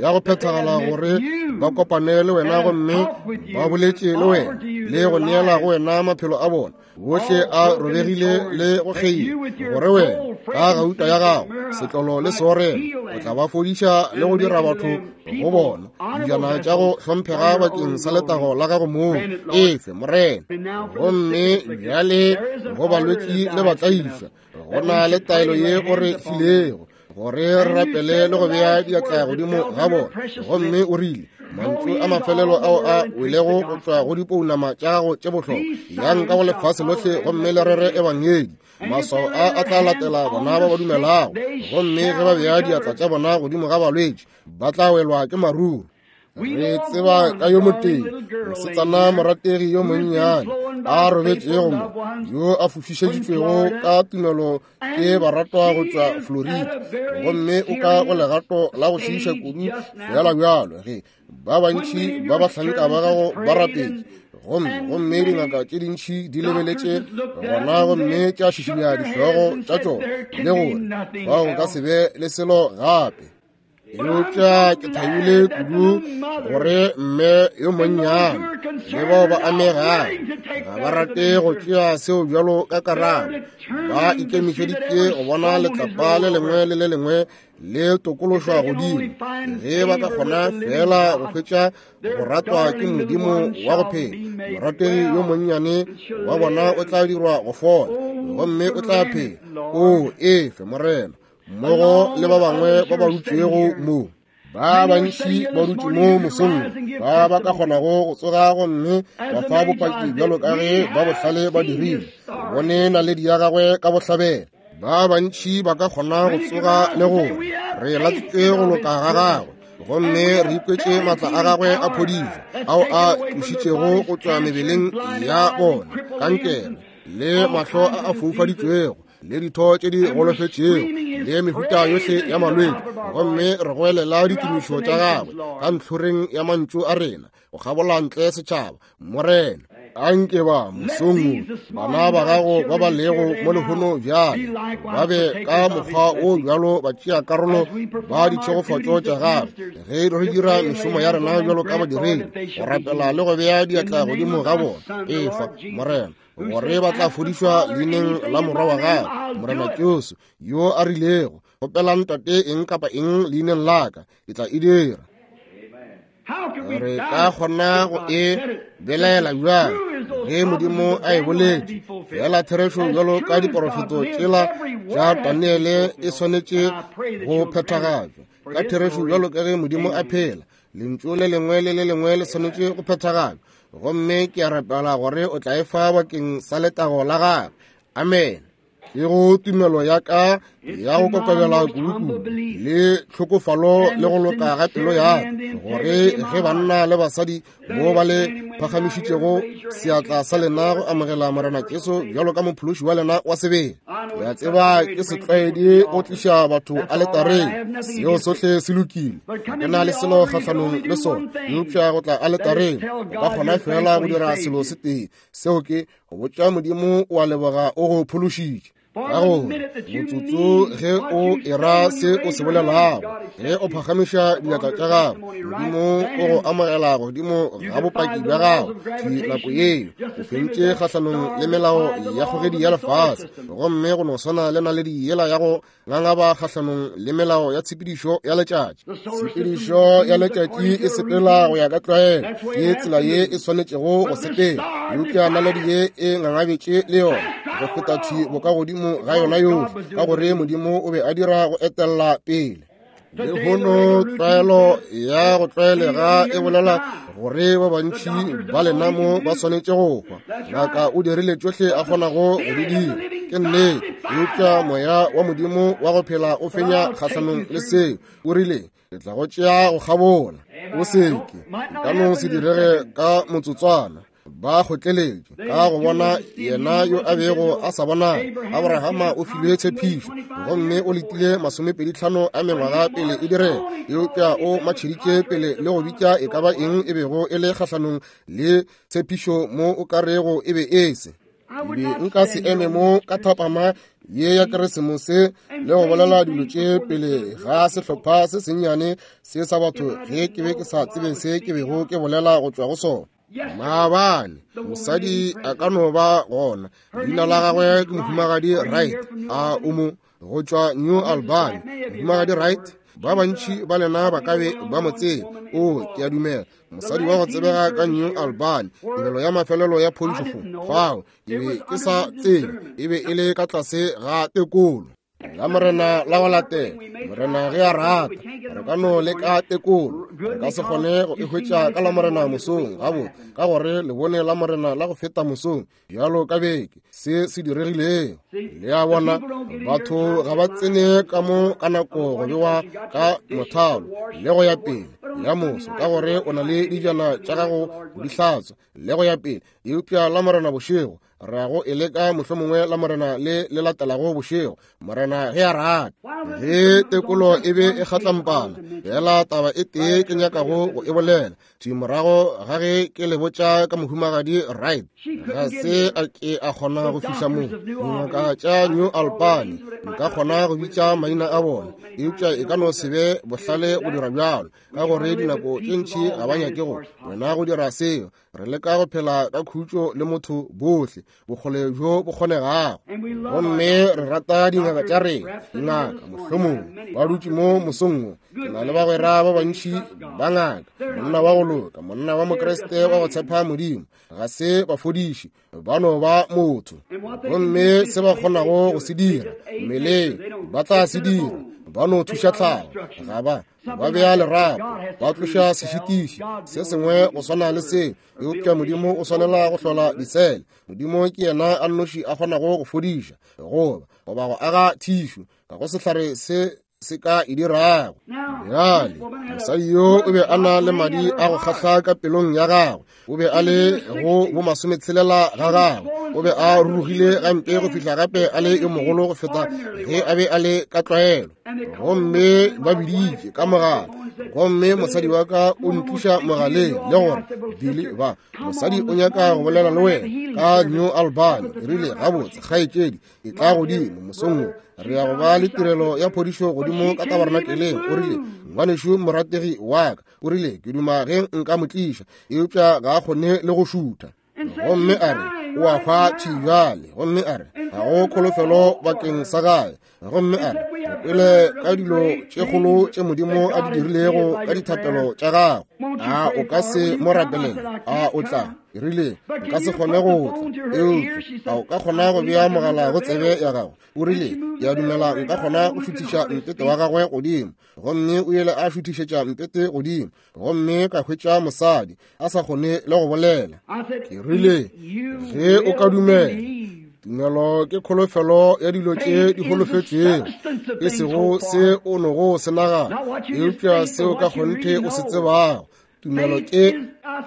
ya go phethagala, gore ba kopane le wena gomme ba boletše le wena le go neela go wena maphelo a bona bohle a robegile le go kgeila, gore wena ka gauta ya gago, setlolo le seorelo, o tla ba fodiša le go dira batho go bona dijana tša go hlomphega bakeng sa letago la gago mong. Efe, Morena. Gomme bjale go balwetši le batlaišwa, go na le taelo ye o re filego gore re rapele le go bea diatla godimo ga bona. Gomme o rile, Mantšu a mafelelo ao a welego go tšwa go dipounama tša gago tše bohlokwa, yang ka go lefase lohle gomme le rere ebangedi. Maswao a a tla latela bona ba ba dumelago, gomme ge ba bea diatla tša bona godimo ga balwetši, ba tla welwa ke maruru. Re tseba ka yo motee, mosetsana morategi yo monnyane a robetšego mo, yo a fofišeditšwego ka tumelo ke baratwa go tšwa Florida, gomme o ka go legato la go šiiša kudu fela bjalo ge ba bantši ba bahlanka ba gago ba rapetše, gomme gomme dingaka tše dintši di lebeletše gona gomme tša šišinya dihlogo tša tšona le gore fao go ka se be le selo gape. Eupša ke thabile kudu gore mme yo monnyane le bao ba amegago ga ba rate go tšea seo bjalo ka karabo. Ba ikemišeditše go bona letlapa le lengwe le le lengwe le tokološwa godimo, ge ba ka kgona fela go hwetša go ratwa ke Modimo wa go phela. Morategi yo monnyane wa bona o tla dirwa go fola, gomme o tla phela. O efe, Morena, mmogo le ba bangwe ba ba dutšego mo. Ba bantši ba dutše mo mosong, ba ba ka kgonago go tsoga gomme ba fa bopaki bjalo ka ge ba bohlale ba dirile, bone naledi ya gagwe ka bohlabela. Ba bantši ba ka kgona go tsoga le gore re latswitše go loka ga gagwe, gomme re ikwetše maatla a gagwe a phodišo ao a tlošitšego go tšwa mebeleng ya bona, kankere le mahlo a a foufaditšwego le ditho tše di golofetšego le mehuta yohle ya malwetši, gomme re goelela ditumišo tša gagwe ka ntlhoreng ya mantšu a rena go kgabola ntle setšhaba. Morena, anke ba mosong bana ba gago ba ba lego mo lehono bjale ba be ka mokgwa o bjalo ba tšea karolo ba ditšhegofatšo tša gagwe ge re dira mešomo ya rena bjalo ka badiredi, go rapela le go bea diatla godimo ga bona. Efa, Morena, gore ba tla fodišwa leineng la morwa wa gagwe, Morena Jesu, yo a rilego, kgopelang Tate eng kapa eng leineng la ka, ke tla e dira. Re ka kgona go e belaela bjang ge Modimo a e boletše? Fela therešo bjalo ka diporofeto tšela tša Daniele e swanetše go phethagatšwa. Ka therešo bjalo ka ge Modimo a phela, lentšu le lengwe le le lengwe le swanetše go phethagatšwa. Gomme ke a rapela gore o tla e fa bakeng sa letago la gagwe. Amen. Ke go tumelo ya ka ya go kokobela kudukudu le tlhokofalo le go loka ga pelo ya ka, gore ge banna le basadi mo ba le phagamišitšego seatla sa lena go amogela Morena Jesu bjalo ka mophološi wa lena wa sebele. Ke a tseba ke setlwaedi go tliša batho aletareng, seo sohle se lokile, ga ke na le selo kgahlanong le sona, eupša go tla aletareng o ka kgona fela go dira selo se tee, seo ke go botša Modimo o a leboga o go phološitše. Ka gore motsotso ge o era se o se bolelago, ge o phagamiša diatla tša gago, Modimo o go amogela godimo ga bopaki bja gago thwi nako yeo. O fentše kgahlanong le melao ya kgogedi ya lefase, gomme go no swana le naledi yela ya go ngangaba kgahlanong le melao ya tshepedišo ya letšatši. Tshepedišo ya letšatši e sepela go ya ka tlwaelo, ke tsela ye e swanetšego go sepela, eupša naledi ye e ngangabetše le yona go feta thwi bokagodimo ga yona yohle, ka gore Modimo o be a dira go etella pele. Lehono tlwaelo ya go tlwaelega e bolela gore ba bantši ba lena mo ba swanetše go hwa. Ngaka o dirile tšohle a kgonago go di dira, ke nnete, eupša moya wa Modimo wa go phela o fenya kgahlanong le seo. O rile, ke tla go tšea go kgabola, o seke, ka no se direge ka motsotswana. Ba kgotleletše ka go bona yena yo a bego a sa bonale. Abrahama o filwe tshepišo, gomme o letile masomepedi tlhano a mengwaga pele e direga, eupša o matšheditše pele le go bitša e ka ba eng e bego e le kgahlanong le tshepišo mo o ka rego e be e se. Ke be nka se eme mo ka thapama ye ya Keresemose le go bolela dilo tše pele ga sehlopha se sennyane se sa batho ge ke be ke sa tsebe se ke bego ke bolela go tšwa go sona. Maabane mosadi a ka no ba gona, leina la gagwe ke Mohumagadi Wright, a o mo go tšwa New Albany. Mohumagadi Wright, ba bantši ba lena ba ka be ba mo tseba. O, ke a dumela mosadi wa go tsebega ka New Albany, tirelo ya mafelelo ya phodišo fao ke be ke sa tsebe, e be e le ka tlase ga tekolo. La Morena la go latela, Morena ge a rata, re ka no leka tekolo. Re ka se kgone go e hwetša ka la Morena mosong, gabotse, ka gore le bone la Morena la go feta mosong, bjalo ka beke, se se diregilego. Le a bona, batho ga ba tsene ka mo ka nako go bewa ka mothalo le go ya pele ya moso, ka gore o na le dijana tša gago go di hlatswa le go ya pele. Eupša la Morena bošego re ya go e leka mohlomongwe la Morena le le latelago bošego, Morena ge a rata. Ge tekolo e be e kgatlampana, fela taba e tee ke nyakago go e bolela thwi morago ga ge ke le botša ka mohumagadi Wright, ga se a ke a kgona go fihla mo. Dingaka tša New Albany nka kgona go bitša maina a bona, eupša e ka no se be bohlale go dira bjalo, ka gore dinako tše ntši ga ba nyake go wena go dira seo. Re leka go phela ka khutšo le motho bohle bokgole bjo bo kgonegago, gomme re rata dingaka tša rena. Dingaka mohlomongwe ba dutše mo mosong wo. Ke na le bagwera ba bantši ba ngaka, monna wa go loka, monna wa Mokriste wa go tshepa Modimo. Ga se bafodiši, ba no ba motho, gomme se ba kgonago go se dira mmeleng ba tla se dira. Ba no thuša tlhago, ga ba ba bea lerapo, ba tloša sešitiši se sengwe go swana le seo. Eupša Modimo o swanela go hlola disele. Modimo ke yena a nnoši a kgonago go fodiša goba goba go aga thišu, ga go sehlare se se ka e dirago. Bjale mosadi yo o be a na le madi a go kgahla ka pelong ya gagwe, o be a le go bo masometshelela ga gagwe, o be a rurugile gampe go fihla gape a le yo mogolo go feta ge a be a le ka tlwaelo. Gomme ba biditše ka mogala, gomme mosadi wa ka o ntliša mogaleng le gore, Billy, ba mosadi o nyaka go bolela le wena ka New Albany. Ke rile, gabotse kgaetšedi, e tla godimo mosong wo, re ya go ba le tirelo ya phodišo godimo ka tabernakeleng. O rile, ngwanešu morategi wa ka, o rile, ke duma ge nka mo tliša, eupša ga a kgone le go šutha. Gomme a re, o a hwa thwi bjale. Gomme a re, ga go kholofelo bakeng sa gae. Gomme a re, re kwele ka dilo tše kgolo tše Modimo a di dirilego ka dithapelo tša gago. A o ka se mo rapelele? A o tla? Ke rile, nka se kgone go tla, eupša a o ka kgona go bea mogala go tsebe ya gago? O rile, ke a dumela nka kgona go šuthiša mpete wa gagwe godimo. Gomme o ile a šuthišetša mpete godimo, gomme ka hwetša mosadi a sa kgone le go bolela. Ke rile, ge o ka dumela. Tumelo ke kholofelo ya dilo tše di holofetšego, e sego se o nogo se nagana, eupša seo ka kgonthe o se tsebago. Tumelo ke,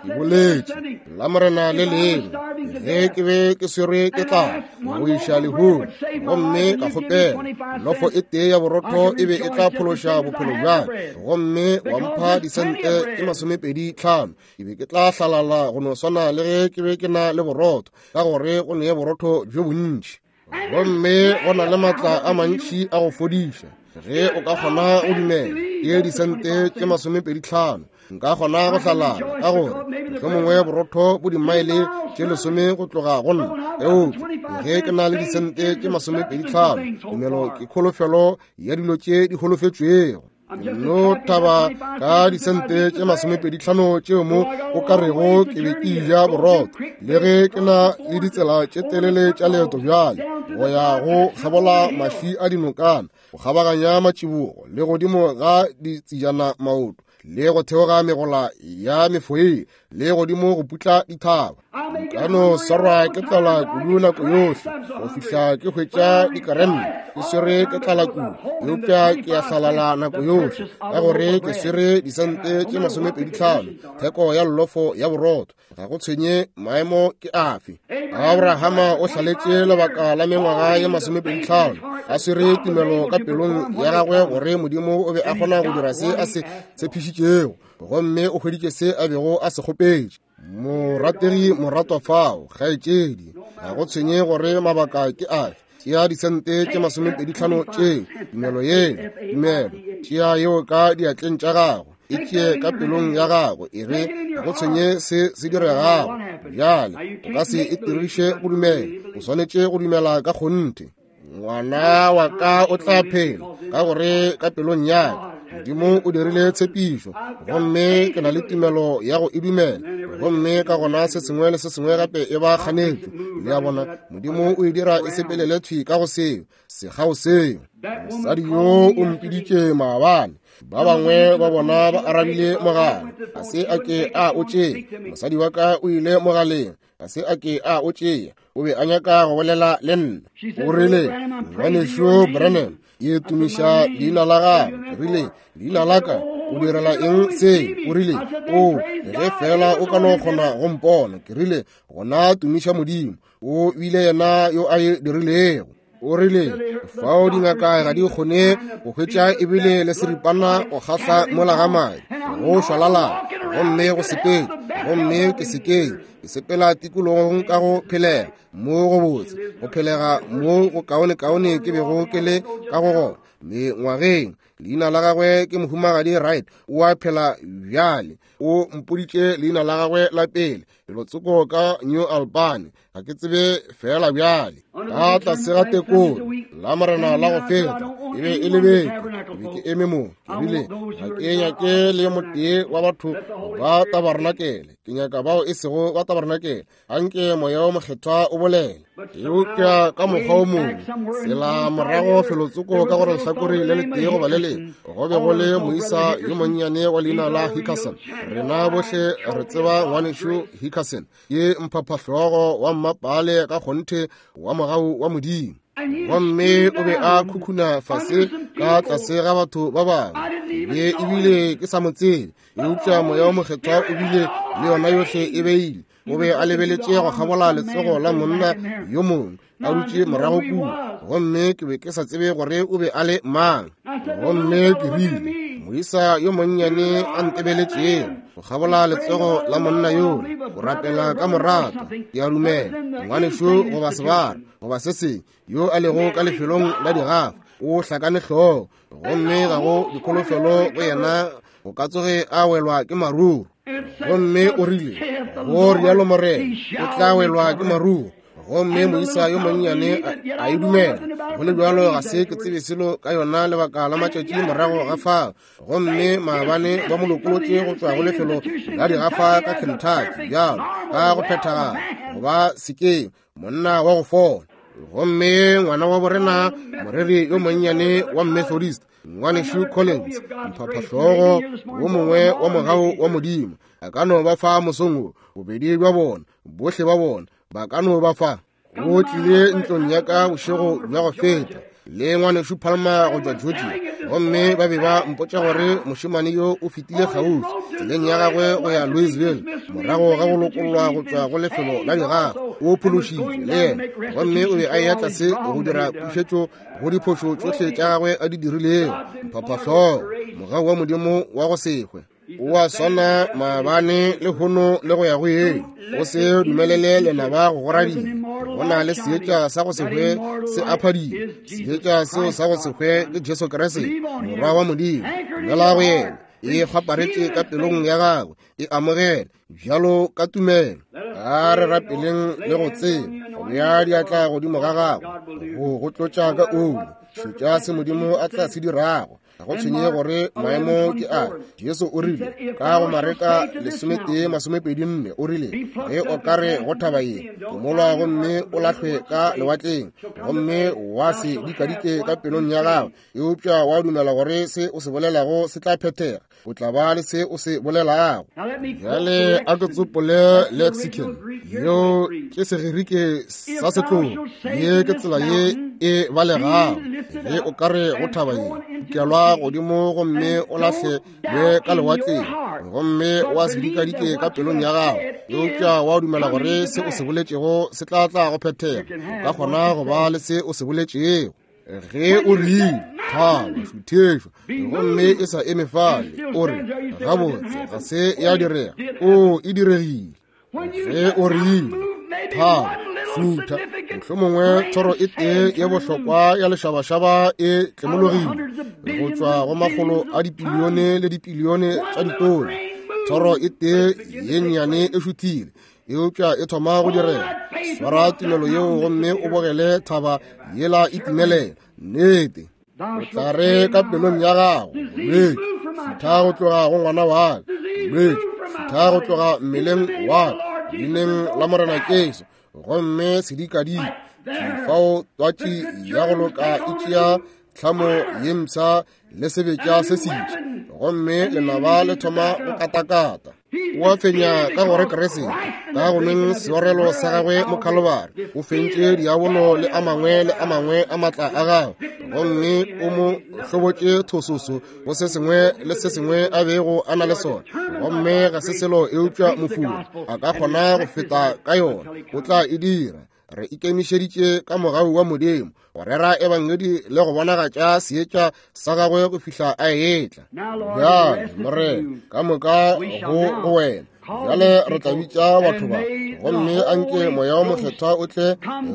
ke boletše la Morena le lengwe ge ke be ke swerwe ke tlala go iša lehung, gomme ka kgopela lofo e tee ya borotho e be e tla phološa bophelo bja ka, gomme wa mpha disente tše masomepedi tlhano, ke be ke tla hlalala go no swana le ge ke be ke na le borotho, ka gore go ne borotho bjo bontši. Gomme go na le maatla a mantši a go fodiša ge o ka kgona go dumela. Ke disente tše masomepedi tlhano, nka kgona go hlalala, ka gore mohlomongwe borotho bo dimaele tše lesome go tloga go nna, eupša ge ke na le disente tše masomepedi tlhano, tumelo ke kholofelo ya dilo tše di holofetšwego. No thaba ka disente tše masomepedi tlhano tšeo mo o ka rego ke be ke ja borotho, le ge ke na le ditsela tše telele tša leeto bjale go ya go kgabola maši a dinokana, go kgabaganya matšibogo le godimo ga ditsejana maoto, le go theoga megola ya mefoe, le godimo go putla dithaba. Nka no swarwa ke tlala kudu nako yohle go fihla ke hwetša dikaremme, ke swere ke tlala kudu, eupša ke a hlalala nako yohle, ka gore ke swere disente tše masomepedi tlhano, theko ya llofo ya borotho. Ga go tshwenye maemo ke afe. Abrahama o hlaletše lebaka la mengwaga ye masomepedi tlhano a swere tumelo ka pelong ya gagwe gore Modimo o be a kgona go dira se a se tshepišitšego, gomme o hweditše se a bego a se kgopetše. Morategi moratwa fao, kgaetšedi, ga go tshwenye gore mabaka ke afe, tšea disente tše masomepedi tlhano tšeo, tumelo yeo, tumelo, tšea yeo ka diatleng tša gago, e tšee ka pelong ya gago, e re ga go tshwenye se se diregago bjale, o ka se e tiriše go dumela, o swanetše go dumela ka kgonthe. Ngwana wa ka o tla phela, ka gore ka pelong ya ka Modimo o dirile tshepišo, gomme ke na le tumelo ya go e dumela. Gomme ka gona se sengwe le se sengwe gape e ba kganetšo. Le a bona, Modimo o e dira e sepelele thwi ka go seo, sekgao seo. Mosadi yo o mpiditše maabane. Ba bangwe ba bona ba arabile mogala, ga se a ke a o tšea. Mosadi wa ka o ile mogaleng, ga se a ke a o tšea. O be a nyaka go bolela le nna. O rile, ngwanešu Branham, ke tumiša leina la gago. Ke rile, leina la ka, o direla eng se? O rile, o, ge fela o ka no kgona go mpona. Ke rile, gona tumiša Modimo, o bile yena yo a e dirilego. O rile, fao dingaka ga di kgone go hwetša ebile le seripana go kgahla mola ga madi, go šwalalana, gomme go sepele, gomme ke sekeng, ke sepela tikologong ka go phelega mo go botse, go phelega mo go kaonekaone ke bego ke le ka go gona mengwageng. Leina la gagwe ke Mohumagadi Wright, o a phela bjale. O mpoditše leina la gagwe la pele, lelotsoko ka New Albany, ga ke tsebe fela bjale. Ka tlase ga tekolo la morena la go feta, e be e le beke, ke be ke eme mo, ke rile, ga ke nyake le motee wa batho ba tabarnakele, ke nyaka bao e sego ba tabarnakele. Anke moya o mokgethwa o bolele. Eupša ka mokgwa o mongwe, tsela morago felotsoko ka gore lehlakore le letee goba le lengwe, go be go le moisa yo monnyane wa leina la Hickerson. Rena bohle re tseba ngwanešu Hickerson, ke mphaphahlogo wa mmapale ka kgonthe wa mogau wa Modimo. Gomme o be a khukhuna fase ka tlase ga batho ba bangwe, be ebile ke sa mo tsebe, eupša moya o mokgethwa o bile le yona yohle e beile. O be a lebeletše go kgabola letsogo la monna yo mongwe a dutše morago kua, gomme ke be ke sa tsebe gore o be a le mang. Gomme ke rile, moisa yo monnyane a ntebeletšego go kgabola letsogo la monna yola, go rapela ka morato, ke a dumela ngwanešu goba sebara goba se sengwe yo a lego ka lefelong la digafa, o hlakane hlogo, gomme ga go dikholofelo go yena go ka tsoge a welwa ke maruru. Gomme o rile, go rialo Morena, o tla welwa ke maruru. Gomme moisa yo monnyane a e dumela. Go le bjalo ga se ke tsebe selo ka yona lebaka la matšatši morago ga fao. Gomme maabane ba mo lokolotše go tšwa go lefelo la digafa ka Kentucky, bjalo ka go phethagala goba sekeng, monna wa go fola. Gomme ngwana wa borena, moreri yo monnyane wa Methodist, ngwanešu Collins, mphaphahlogo wo mongwe wa mogau wa Modimo, a ka no ba fa mosong wo, bobedi bja bona, bohle ba bona ba ka no ba fa. O tlile ntlong ya ka bošego bja go feta le ngwanešu Palmer go tšwa Georgia, gomme ba be ba mpotša gore mošemane yo o fetile kgauswi tseleng ya gagwe go ya Louisville morago ga go lokollwa go tšwa go lefelo la digafa. O phološitšwe le yena, gomme o be a eya tlase go dira pušetšo go diphošo tšohle tša gagwe a di dirilego. Mphaphahlogo, mogau wa Modimo wa go se hwe, o a swana maabane le hono le go ya go yeng. O se dumelele lenaba go goradima. Go na le seetša sa go se hwe se a phadima. Seetša seo sa go se hwe ke Jesu Kriste, Morwa wa Modimo. Dumela go yena, e kgwaparetše ka pelong ya gagwe, e amogele bjalo ka tumelo. A re rapeleng le go tseba go bea diatla godimo ga gagwe, go go tlotša ka oli. Šetša se Modimo a tla se dirago. Ga go tshwenye gore maemo ke a. Jesu o rile ka go Mareka lesometee masomepedi nne, o rile, ge o ka re go thaba ye, komolwa gomme o lahlwe ka lewatleng, gomme wa se dikadike ka pelong ya gago, eupša wa dumela gore se o se bolelago se tla phethega, o tla ba le se o se bolelago. Bjale a ke tsopole lexicon, yeo ke Segerike sa setlogo, ye ke tsela ye e balegago. Ge o ka re go thaba ye, kelwa godimo gomme o lahle le ka lewatleng, gomme wa se dikadike ka pelong ya gago, eupša wa dumela gore se o se boletšego se tla tla go phethega, o ka kgona go ba le se o se boletšego. Ge o rile thaba šuthešwa, gomme e sa eme fale, o re gabotse ga se ya direga, o e diregile. Ge o rile thaba šutha, mohlomongwe thoro e tee ye bohlokwa ya lešabašaba e tlemologile go tšwa go makgolo a dipilione le dipilione tša ditone. Thoro e tee ye nnyane e šuthile, eupša e thoma go direga. Swara tumelo yeo gomme o bogele thaba yela e timelela. Nnete. O tla re ka pelong ya gago, bolwetši, šutha go tloga go ngwana wa ka, bolwetši, šutha go tloga mmeleng wa ka, leineng la Morena Jesu, gomme sedikadika fao twatši ya go loka e tšea tlhamo ye mpsha le sebetša se setšha, gomme lenaba le thoma go katakata. O a fenya ka gore Kriste ka go nweng seorelo sa gagwe mo Khalibari o fentše diabolo le a mangwe le a mangwe a matla a gagwe, gomme o mo hlobotše thososo go se sengwe le se sengwe a bego a na le sona, gomme ga se selo eupša mofula a ka kgona go feta ka yona, o tla e dira. Re ikemišeditše ka mogau wa Modimo go rera ebangedi le go bonagatša seetša sa gagwe go fihla a etla. Bjale Morena, ka moka go go wena. Bjale re tla bitša batho ba, gomme anke Moya wo Mokgethwa o tle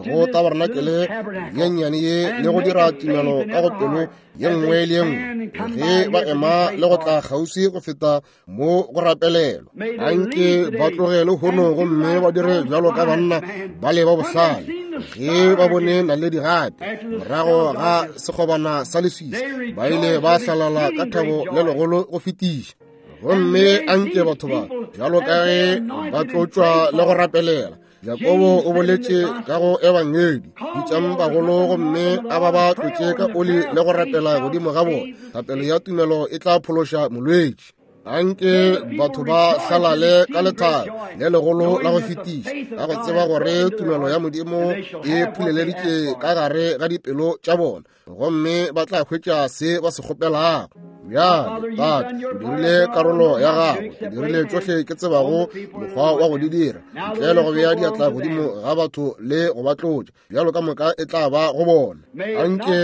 go tabarenakele ye nnyane ye le go dira tumelo ka go pelo ye nngwe le ye nngwe ge ba ema le go tla kgauswi go feta mo go rapelelwa. Anke ba tloge lehono gomme ba dire bjalo ka banna ba le ba bohlale ge ba bone naledi gape morago ga sekgobana sa leswiswi, ba ile ba hlalala ka thabo le legolo go fetiša. Gomme anke batho ba bjalo ka ge ba tlotšwa le go rapelela. Jakobo o boletše ka go ebangedi, bitšang bagolo gomme a ba ba tlotše ka oli le go rapela godimo ga bona. Thapelo ya tumelo e tla phološa molwetši. Anke batho ba hlalale ka lethabo le legolo la go fetiša, ka go tseba gore tumelo ya Modimo e phuleleditše ka gare ga dipelo tša bona, gomme ba tla hwetša se ba se kgopelago. Bjale Tate, o dirile karolo ya gago, ke dirile tšohle ke tsebago mokgwa wa go di dira, ntle le go bea diatla godimo ga batho le go ba tlotša, bjalo ka moka e tla ba go bona. Anke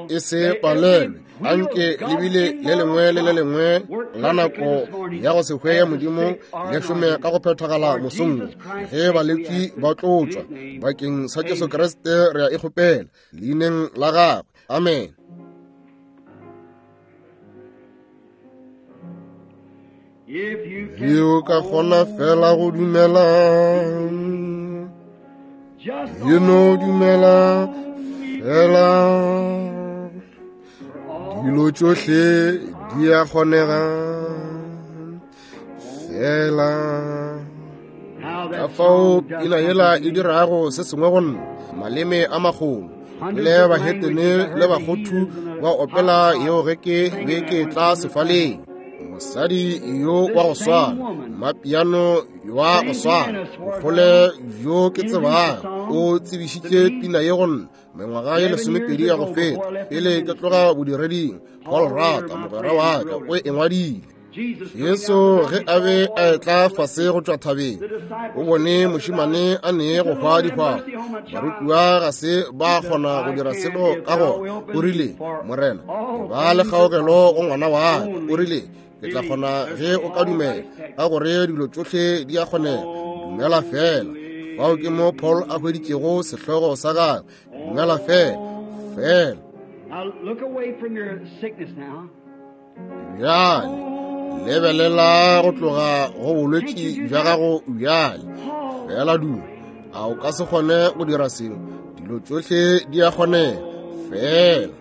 e se palelwe, anke lebile le lengwe le le lengwe la nako ya go se hwe ya Modimo le šome ka go phethagala mosong ge balwetši ba tlotšwa. Bakeng sa Jesu Kriste re a e kgopela, leineng la gagwe, amen. Ge o ka kgona fela go dumela, e no dumela fela, dilo tšohle di a kgonega fela. Ka fao pina yela e dirago se sengwe go nna, maleme a magolo le bahetene le bakgothu ba opela yeo ge ke be ke tla sefaleng. Mosadi yo wa go swana, mapiano wa go swana, bokgole bjo ke tsebago, o tsebišitše pina ye go nna mengwaga ye lesomepedi ya go feta pele ke tloga bodireding. Paul Rata mogwera wa ka o e ngwadile. Jesu ge a be a etla fase go tšwa thabeng, o bone mošemane a ne go hwa dihwahwa. Barutiwa ga se ba kgona go dira selo ka gona. O rile, Morena, ba le kgaogelo go ngwana wa ka. O rile, ke tla kgona ge o ka dumela, ka gore dilo tšohle di a kgonega. Dumela fela. Fao ke mo Paul a hweditšego sehlogo sa gagwe, dumela fela, fela. Bjale lebelela go tloga go bolwetši bja gago bjale, fela duma. A o ka se kgone go dira seo? Dilo tšohle di a kgonega fela.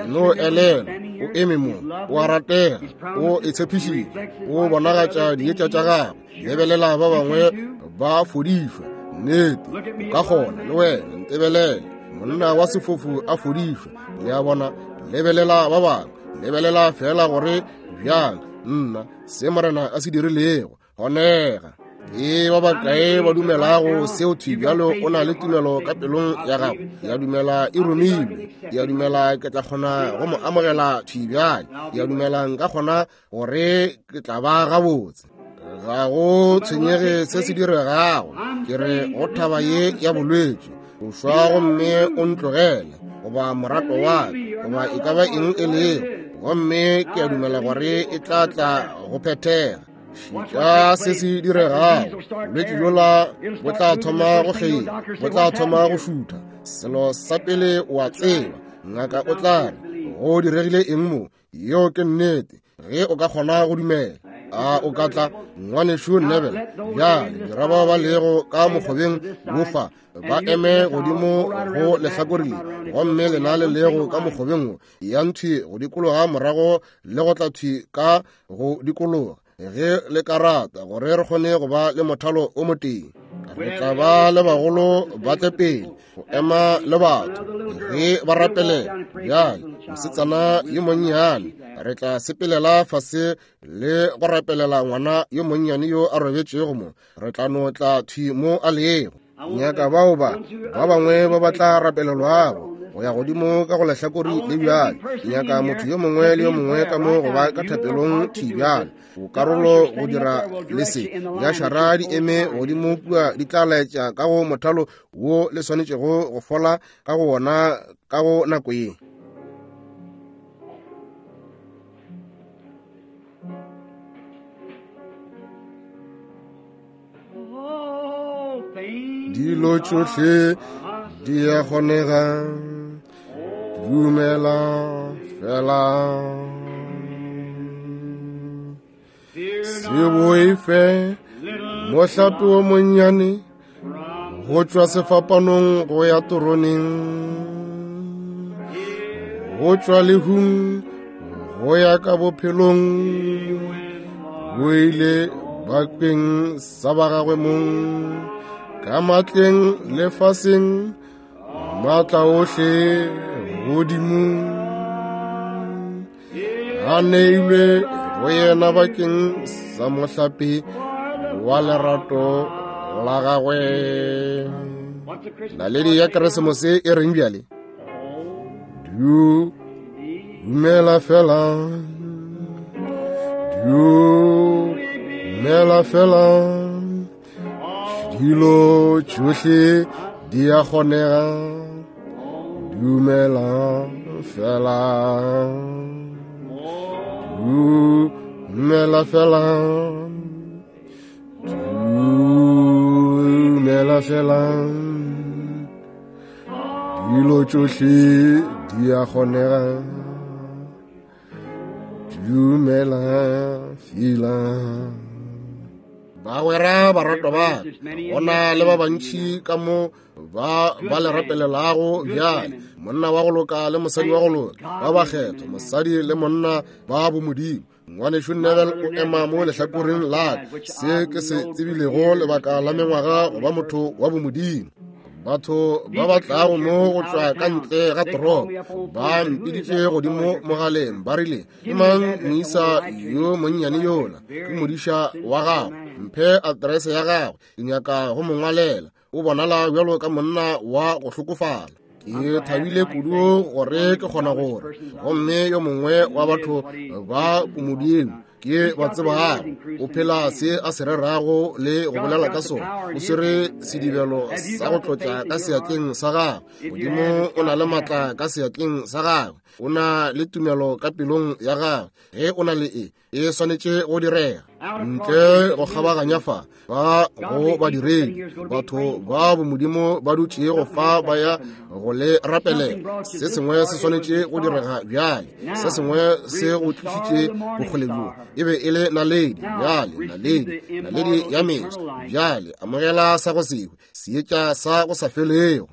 No elelwa, o eme mo, o a ratega, o e tshepišitše, o bonagatša dietša tša gagwe. Lebelela ba bangwe ba fodišwa, nnete o ka kgona le wena. Ntebelele, monna wa sefofu a fodišwa, le a bona. Lebelela ba bangwe, lebelela fela gore bjang nna se Morena a se dirilego kgonega. Ke ba bakae ba dumelago seo thwi bjalo? O na le tumelo ka pelong ya gago, ya dumela e romilwe, ya dumela ke tla kgona go mo amogela thwi bjale, ya dumela nka kgona gore ke tla ba gabotse. Ga go tshwenyege se se diregago, ke re go thaba ye ya bolwetši, o šwa gomme o ntlogele, goba morato wa ka, goba e ka ba eng e lego, gomme ke a dumela gore e tla tla go phethega. Šitša se se diregago, bolwetši bjola bo tla thoma go kgeila, bo tla thoma go šutha. Selo sa pele o a tseba, ngaka o tla re, go diregile eng mo? Yeo ke nnete, ge o ka kgona go dumela. A o ka tla, ngwanešu Neville? Bjale dira bao ba lego ka mokgobeng wofa ba eme godimo go lehlakore le, gomme lena le lego ka mokgobeng wo ya nthwi go dikologa morago le go tla thwi ka go dikologa ge le ka rata, gore re kgone go ba le mothalo o motee. Re tla ba le bagolo ba tle pele go ema le batho ge ba rapelela. Bjale mosetsana yo monnyane, re tla sepelela fase le go rapelela ngwana yo monnyane yo a robetšego mo. Re tla no tla thwi mo a lego. Nyaka bao ba ba bangwe ba ba tla rapelelwago go ya godimo ka go lehlakore le bjale. Nyaka motho yo mongwe le yo mongwe ka mo go ba ka thapelong thwi bjale. O karolo go dira le se ya šara di eme godimo kua, di tla laetša ka go mothalo wo le swanetšego go fola ka go wona ka go nako ye. Dilo tšohle di a kgonega, dumela fela. Se boife mohlape wo monnyane go tšwa sefapanong go ya toroneng, go tšwa lehung go ya ka bophelong, bo ile bakeng sa ba gagwe mong, ka matleng lefaseng, maatla ohle godimo a neilwe go yena bakeng sa mohlape wa lerato la gagwe. Naledi ya Keresemose e reng bjale? Dumela fela, dumela fela, dilo tšohle di a kgonega, dumela fela, dumela fela, dumela fela, dilo tšohle di a kgonega, dumela fela. Bagwera baratwa ba, gona le ba bantši ka mo ba ba le rapelelago bjale, monna wa go loka le mosadi wa go loka, ba bakgethwa, mosadi le monna ba bomodimo. Ngwanešu Neville o ema mo lehlakoreng la ka, se ke se tsebilego lebaka la mengwaga go ba motho wa bomodimo. Batho ba ba tlago mo go tšwa ka ntle ga toropo ba mpiditše godimo mogaleng, ba rile, ke mang moisa yo monnyane yola? Ke modiša wa gago, mphe aterese ya gagwe, ke nyaka go mo ngwalela. O bonala bjalo ka monna wa go hlokofala. Ke thabile kudu gore ke kgona gore, gomme yo mongwe wa batho ba bomodimo ke ba tsebago o phela se a se rerago le go bolela ka sona. O swere sedibelo sa go tlotša ka seatleng sa gagwe. Modimo o na le maatla ka seatleng sa gagwe, o na le tumelo ka pelong ya gagwe. Ge o na le e, e swanetše go direga ntle go kgabaganya fa ba go badiredi. Batho ba bomodimo ba dutšego fa ba ya go le rapelela. Se sengwe se swanetše go direga bjale, se sengwe se go tlišitše bokgole bjo. E be e le naledi bjale, naledi, naledi ya meso bjale. Amogela sa go sehwe, seetša sa go sa felego.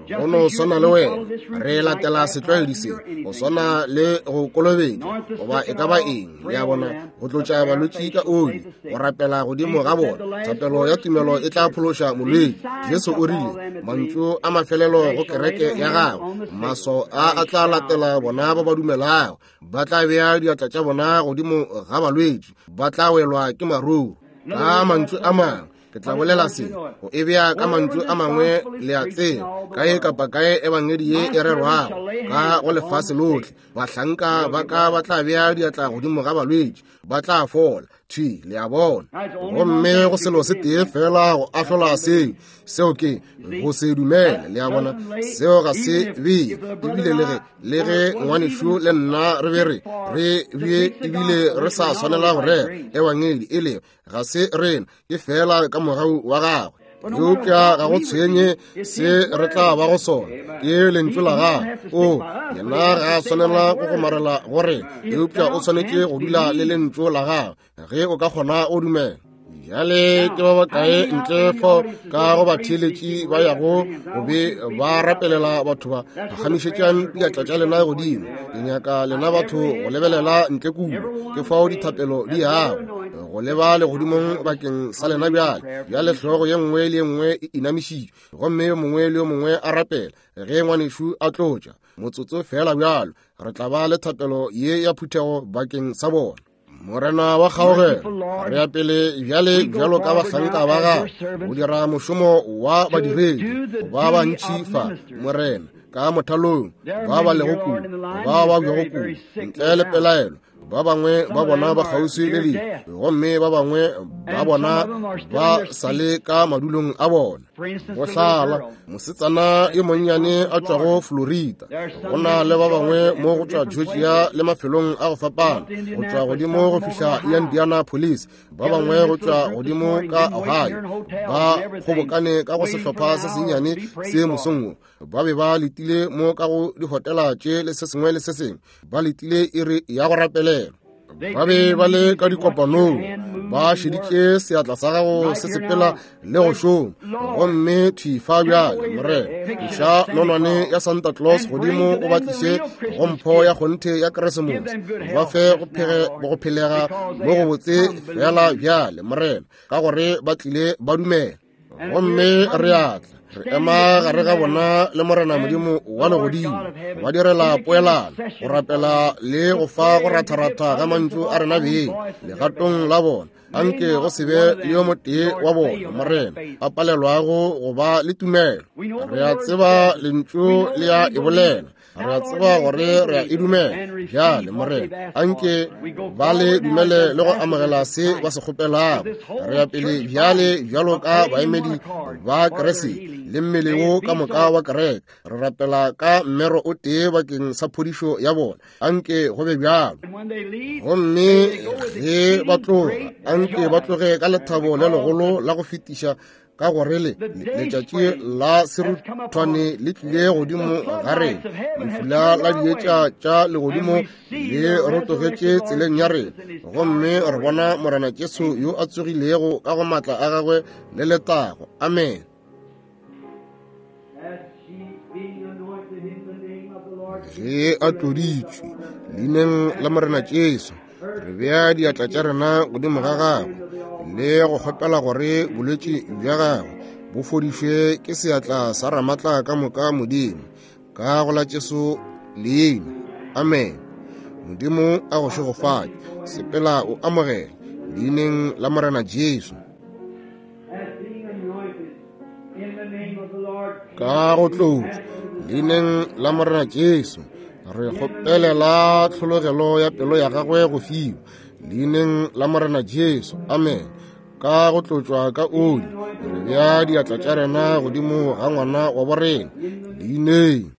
Go no swana le wena, re latela setlwaedi se, go swana le go kolobetša goba e ka ba eng, le a bona, go tlotša balwetši ka oli, go rapela godimo ga bona. Thapelo ya tumelo e tla phološa molwetši. Jesu o rile mantšu a mafelelo go kereke ya gagwe, maswao a a tla latela bona ba ba dumelago, ba tla bea diatla tša bona godimo ga balwetši, ba tla welwa ke maruru. Ka mantšu a mangwe ke tla bolela se, go e bea ka mantšu a mangwe, le a tseba, kae kapa kae ebangedi ye e rerwago ka go lefase lohle, bahlanka ba ka ba tla bea diatla godimo ga balwetši, ba tla fola. Thwi, le a bona. Gomme go selo se tee fela go ahlola seo, seo ke go se dumele. Le a bona, seo ga se bee. Ebile le ge le ge ngwanešu le nna re be re re bee, ebile re sa swanela go rera ebangedi, e le ga se rena, ke fela ka mogau wa gagwe. Eupša ga go tshwenye se re tla ba go sona, ke lentšu la gagwe. O yena ga a swanela go gomarela go rena, eupša o swanetše go dula le lentšu la gagwe ge o ka kgona o dumela. Bjale ke ba bakae ntle fo ka go batheeletši ba yago go be ba rapelela batho ba? Phagamišetšang diatla tša lena godimo. Ke nyaka lena batho go lebelela ntle kudu. Ke fao dithapelo di yago go leba legodimong bakeng sa lena bjale. Bjale hlogo ye nngwe le ye nngwe e inamišitšwe, gomme yo mongwe le yo mongwe a rapela ge ngwanešu a tlotša. Motsotso fela bjalo re tla ba le thapelo ye ya phuthego bakeng sa bona. Morena wa kgaogelo, re ya pele bjale bjalo ka bahlanka ba gago go dira mošomo wa badiredi ba bantši fa, Morena, ka mothalong, ba ba lego kudu, ba ba bjago kudu, ntle le pelaelo. Ba bangwe ba bona ba kgauswi le lehu, gomme ba bangwe ba bona ba sa le ka madulong a bona. Go hlala mosetsana yo monnyane a tšwago Florida, go na le ba bangwe mo go tšwa Georgia le mafelong a go fapana, go tšwa godimo go fihla Indianapolis, ba bangwe go tšwa godimo ka Ohio, ba kgobokane ka go sehlopha se sennyane se mosong wo. Ba be ba letile mo ka go dihotela tše le se sengwe le se sengwe, ba letile iri ya go rapelela. Ba be ba le ka dikopanong, ba šeditše seatla sa gago se sepela le go šoma. Gomme thwi fa bjale, Morena, tliša nonwane ya Santa Claus godimo o ba tliše go mpho ya kgonthe ya Keresemose. Ba fe go phelega mo go botse fela bjale, Morena, ka gore ba tlile ba dumela. Gomme re a tla re ema gare ga bona le Morena Modimo wa legodimo, ba direla poelano, go rapela le go fa go ratharatha ga mantšu a rena beng legatong la bona. Anke go se be le yo motee wa bona, Morena, a palelwago go ba le tumelo. Re a tseba lentšu le a e bolela, re a tseba gore re a e dumela. Bjale, Morena, anke ba le dumele le go amogela se ba se kgopelago. Re ya pele bjale bjalo ka baemedi ba Kriste le mmele wo ka moka wa kereke, re rapela ka mmero o tee bakeng sa phodišo ya bona. Anke go be bjalo. Gomme ge ba tloga, anke ba tloge ka lethabo le legolo la go fetiša, ka gore le letšatši la seruthwane le tlile godimo ga rena, lefula la dietša tša legodimo le rotogetše tseleng ya rena, gomme re bona Morena Jesu yo a tsogilego ka go maatla a gagwe le letago. Amen. Ge a tloditšwe leineng la Morena Jesu, re bea diatla tša rena godimo ga gagwe le go kgopela gore bolwetši bja gagwe bo fodišwe ke seatla sa Ramatla ka moka Modimo, ka go la Jesu leina. Amen. Modimo a go šegofatše. Sepela o amogele leineng la Morena Jesu. Ka go tlotšwa leineng la Morena Jesu, re kgopelela tlhologelo ya pelo ya gagwe go fiwa leineng la Morena Jesu. Amen. Ka go tlotšwa ka oli, re bea diatla tša rena godimo ga ngwana wa borena leineng.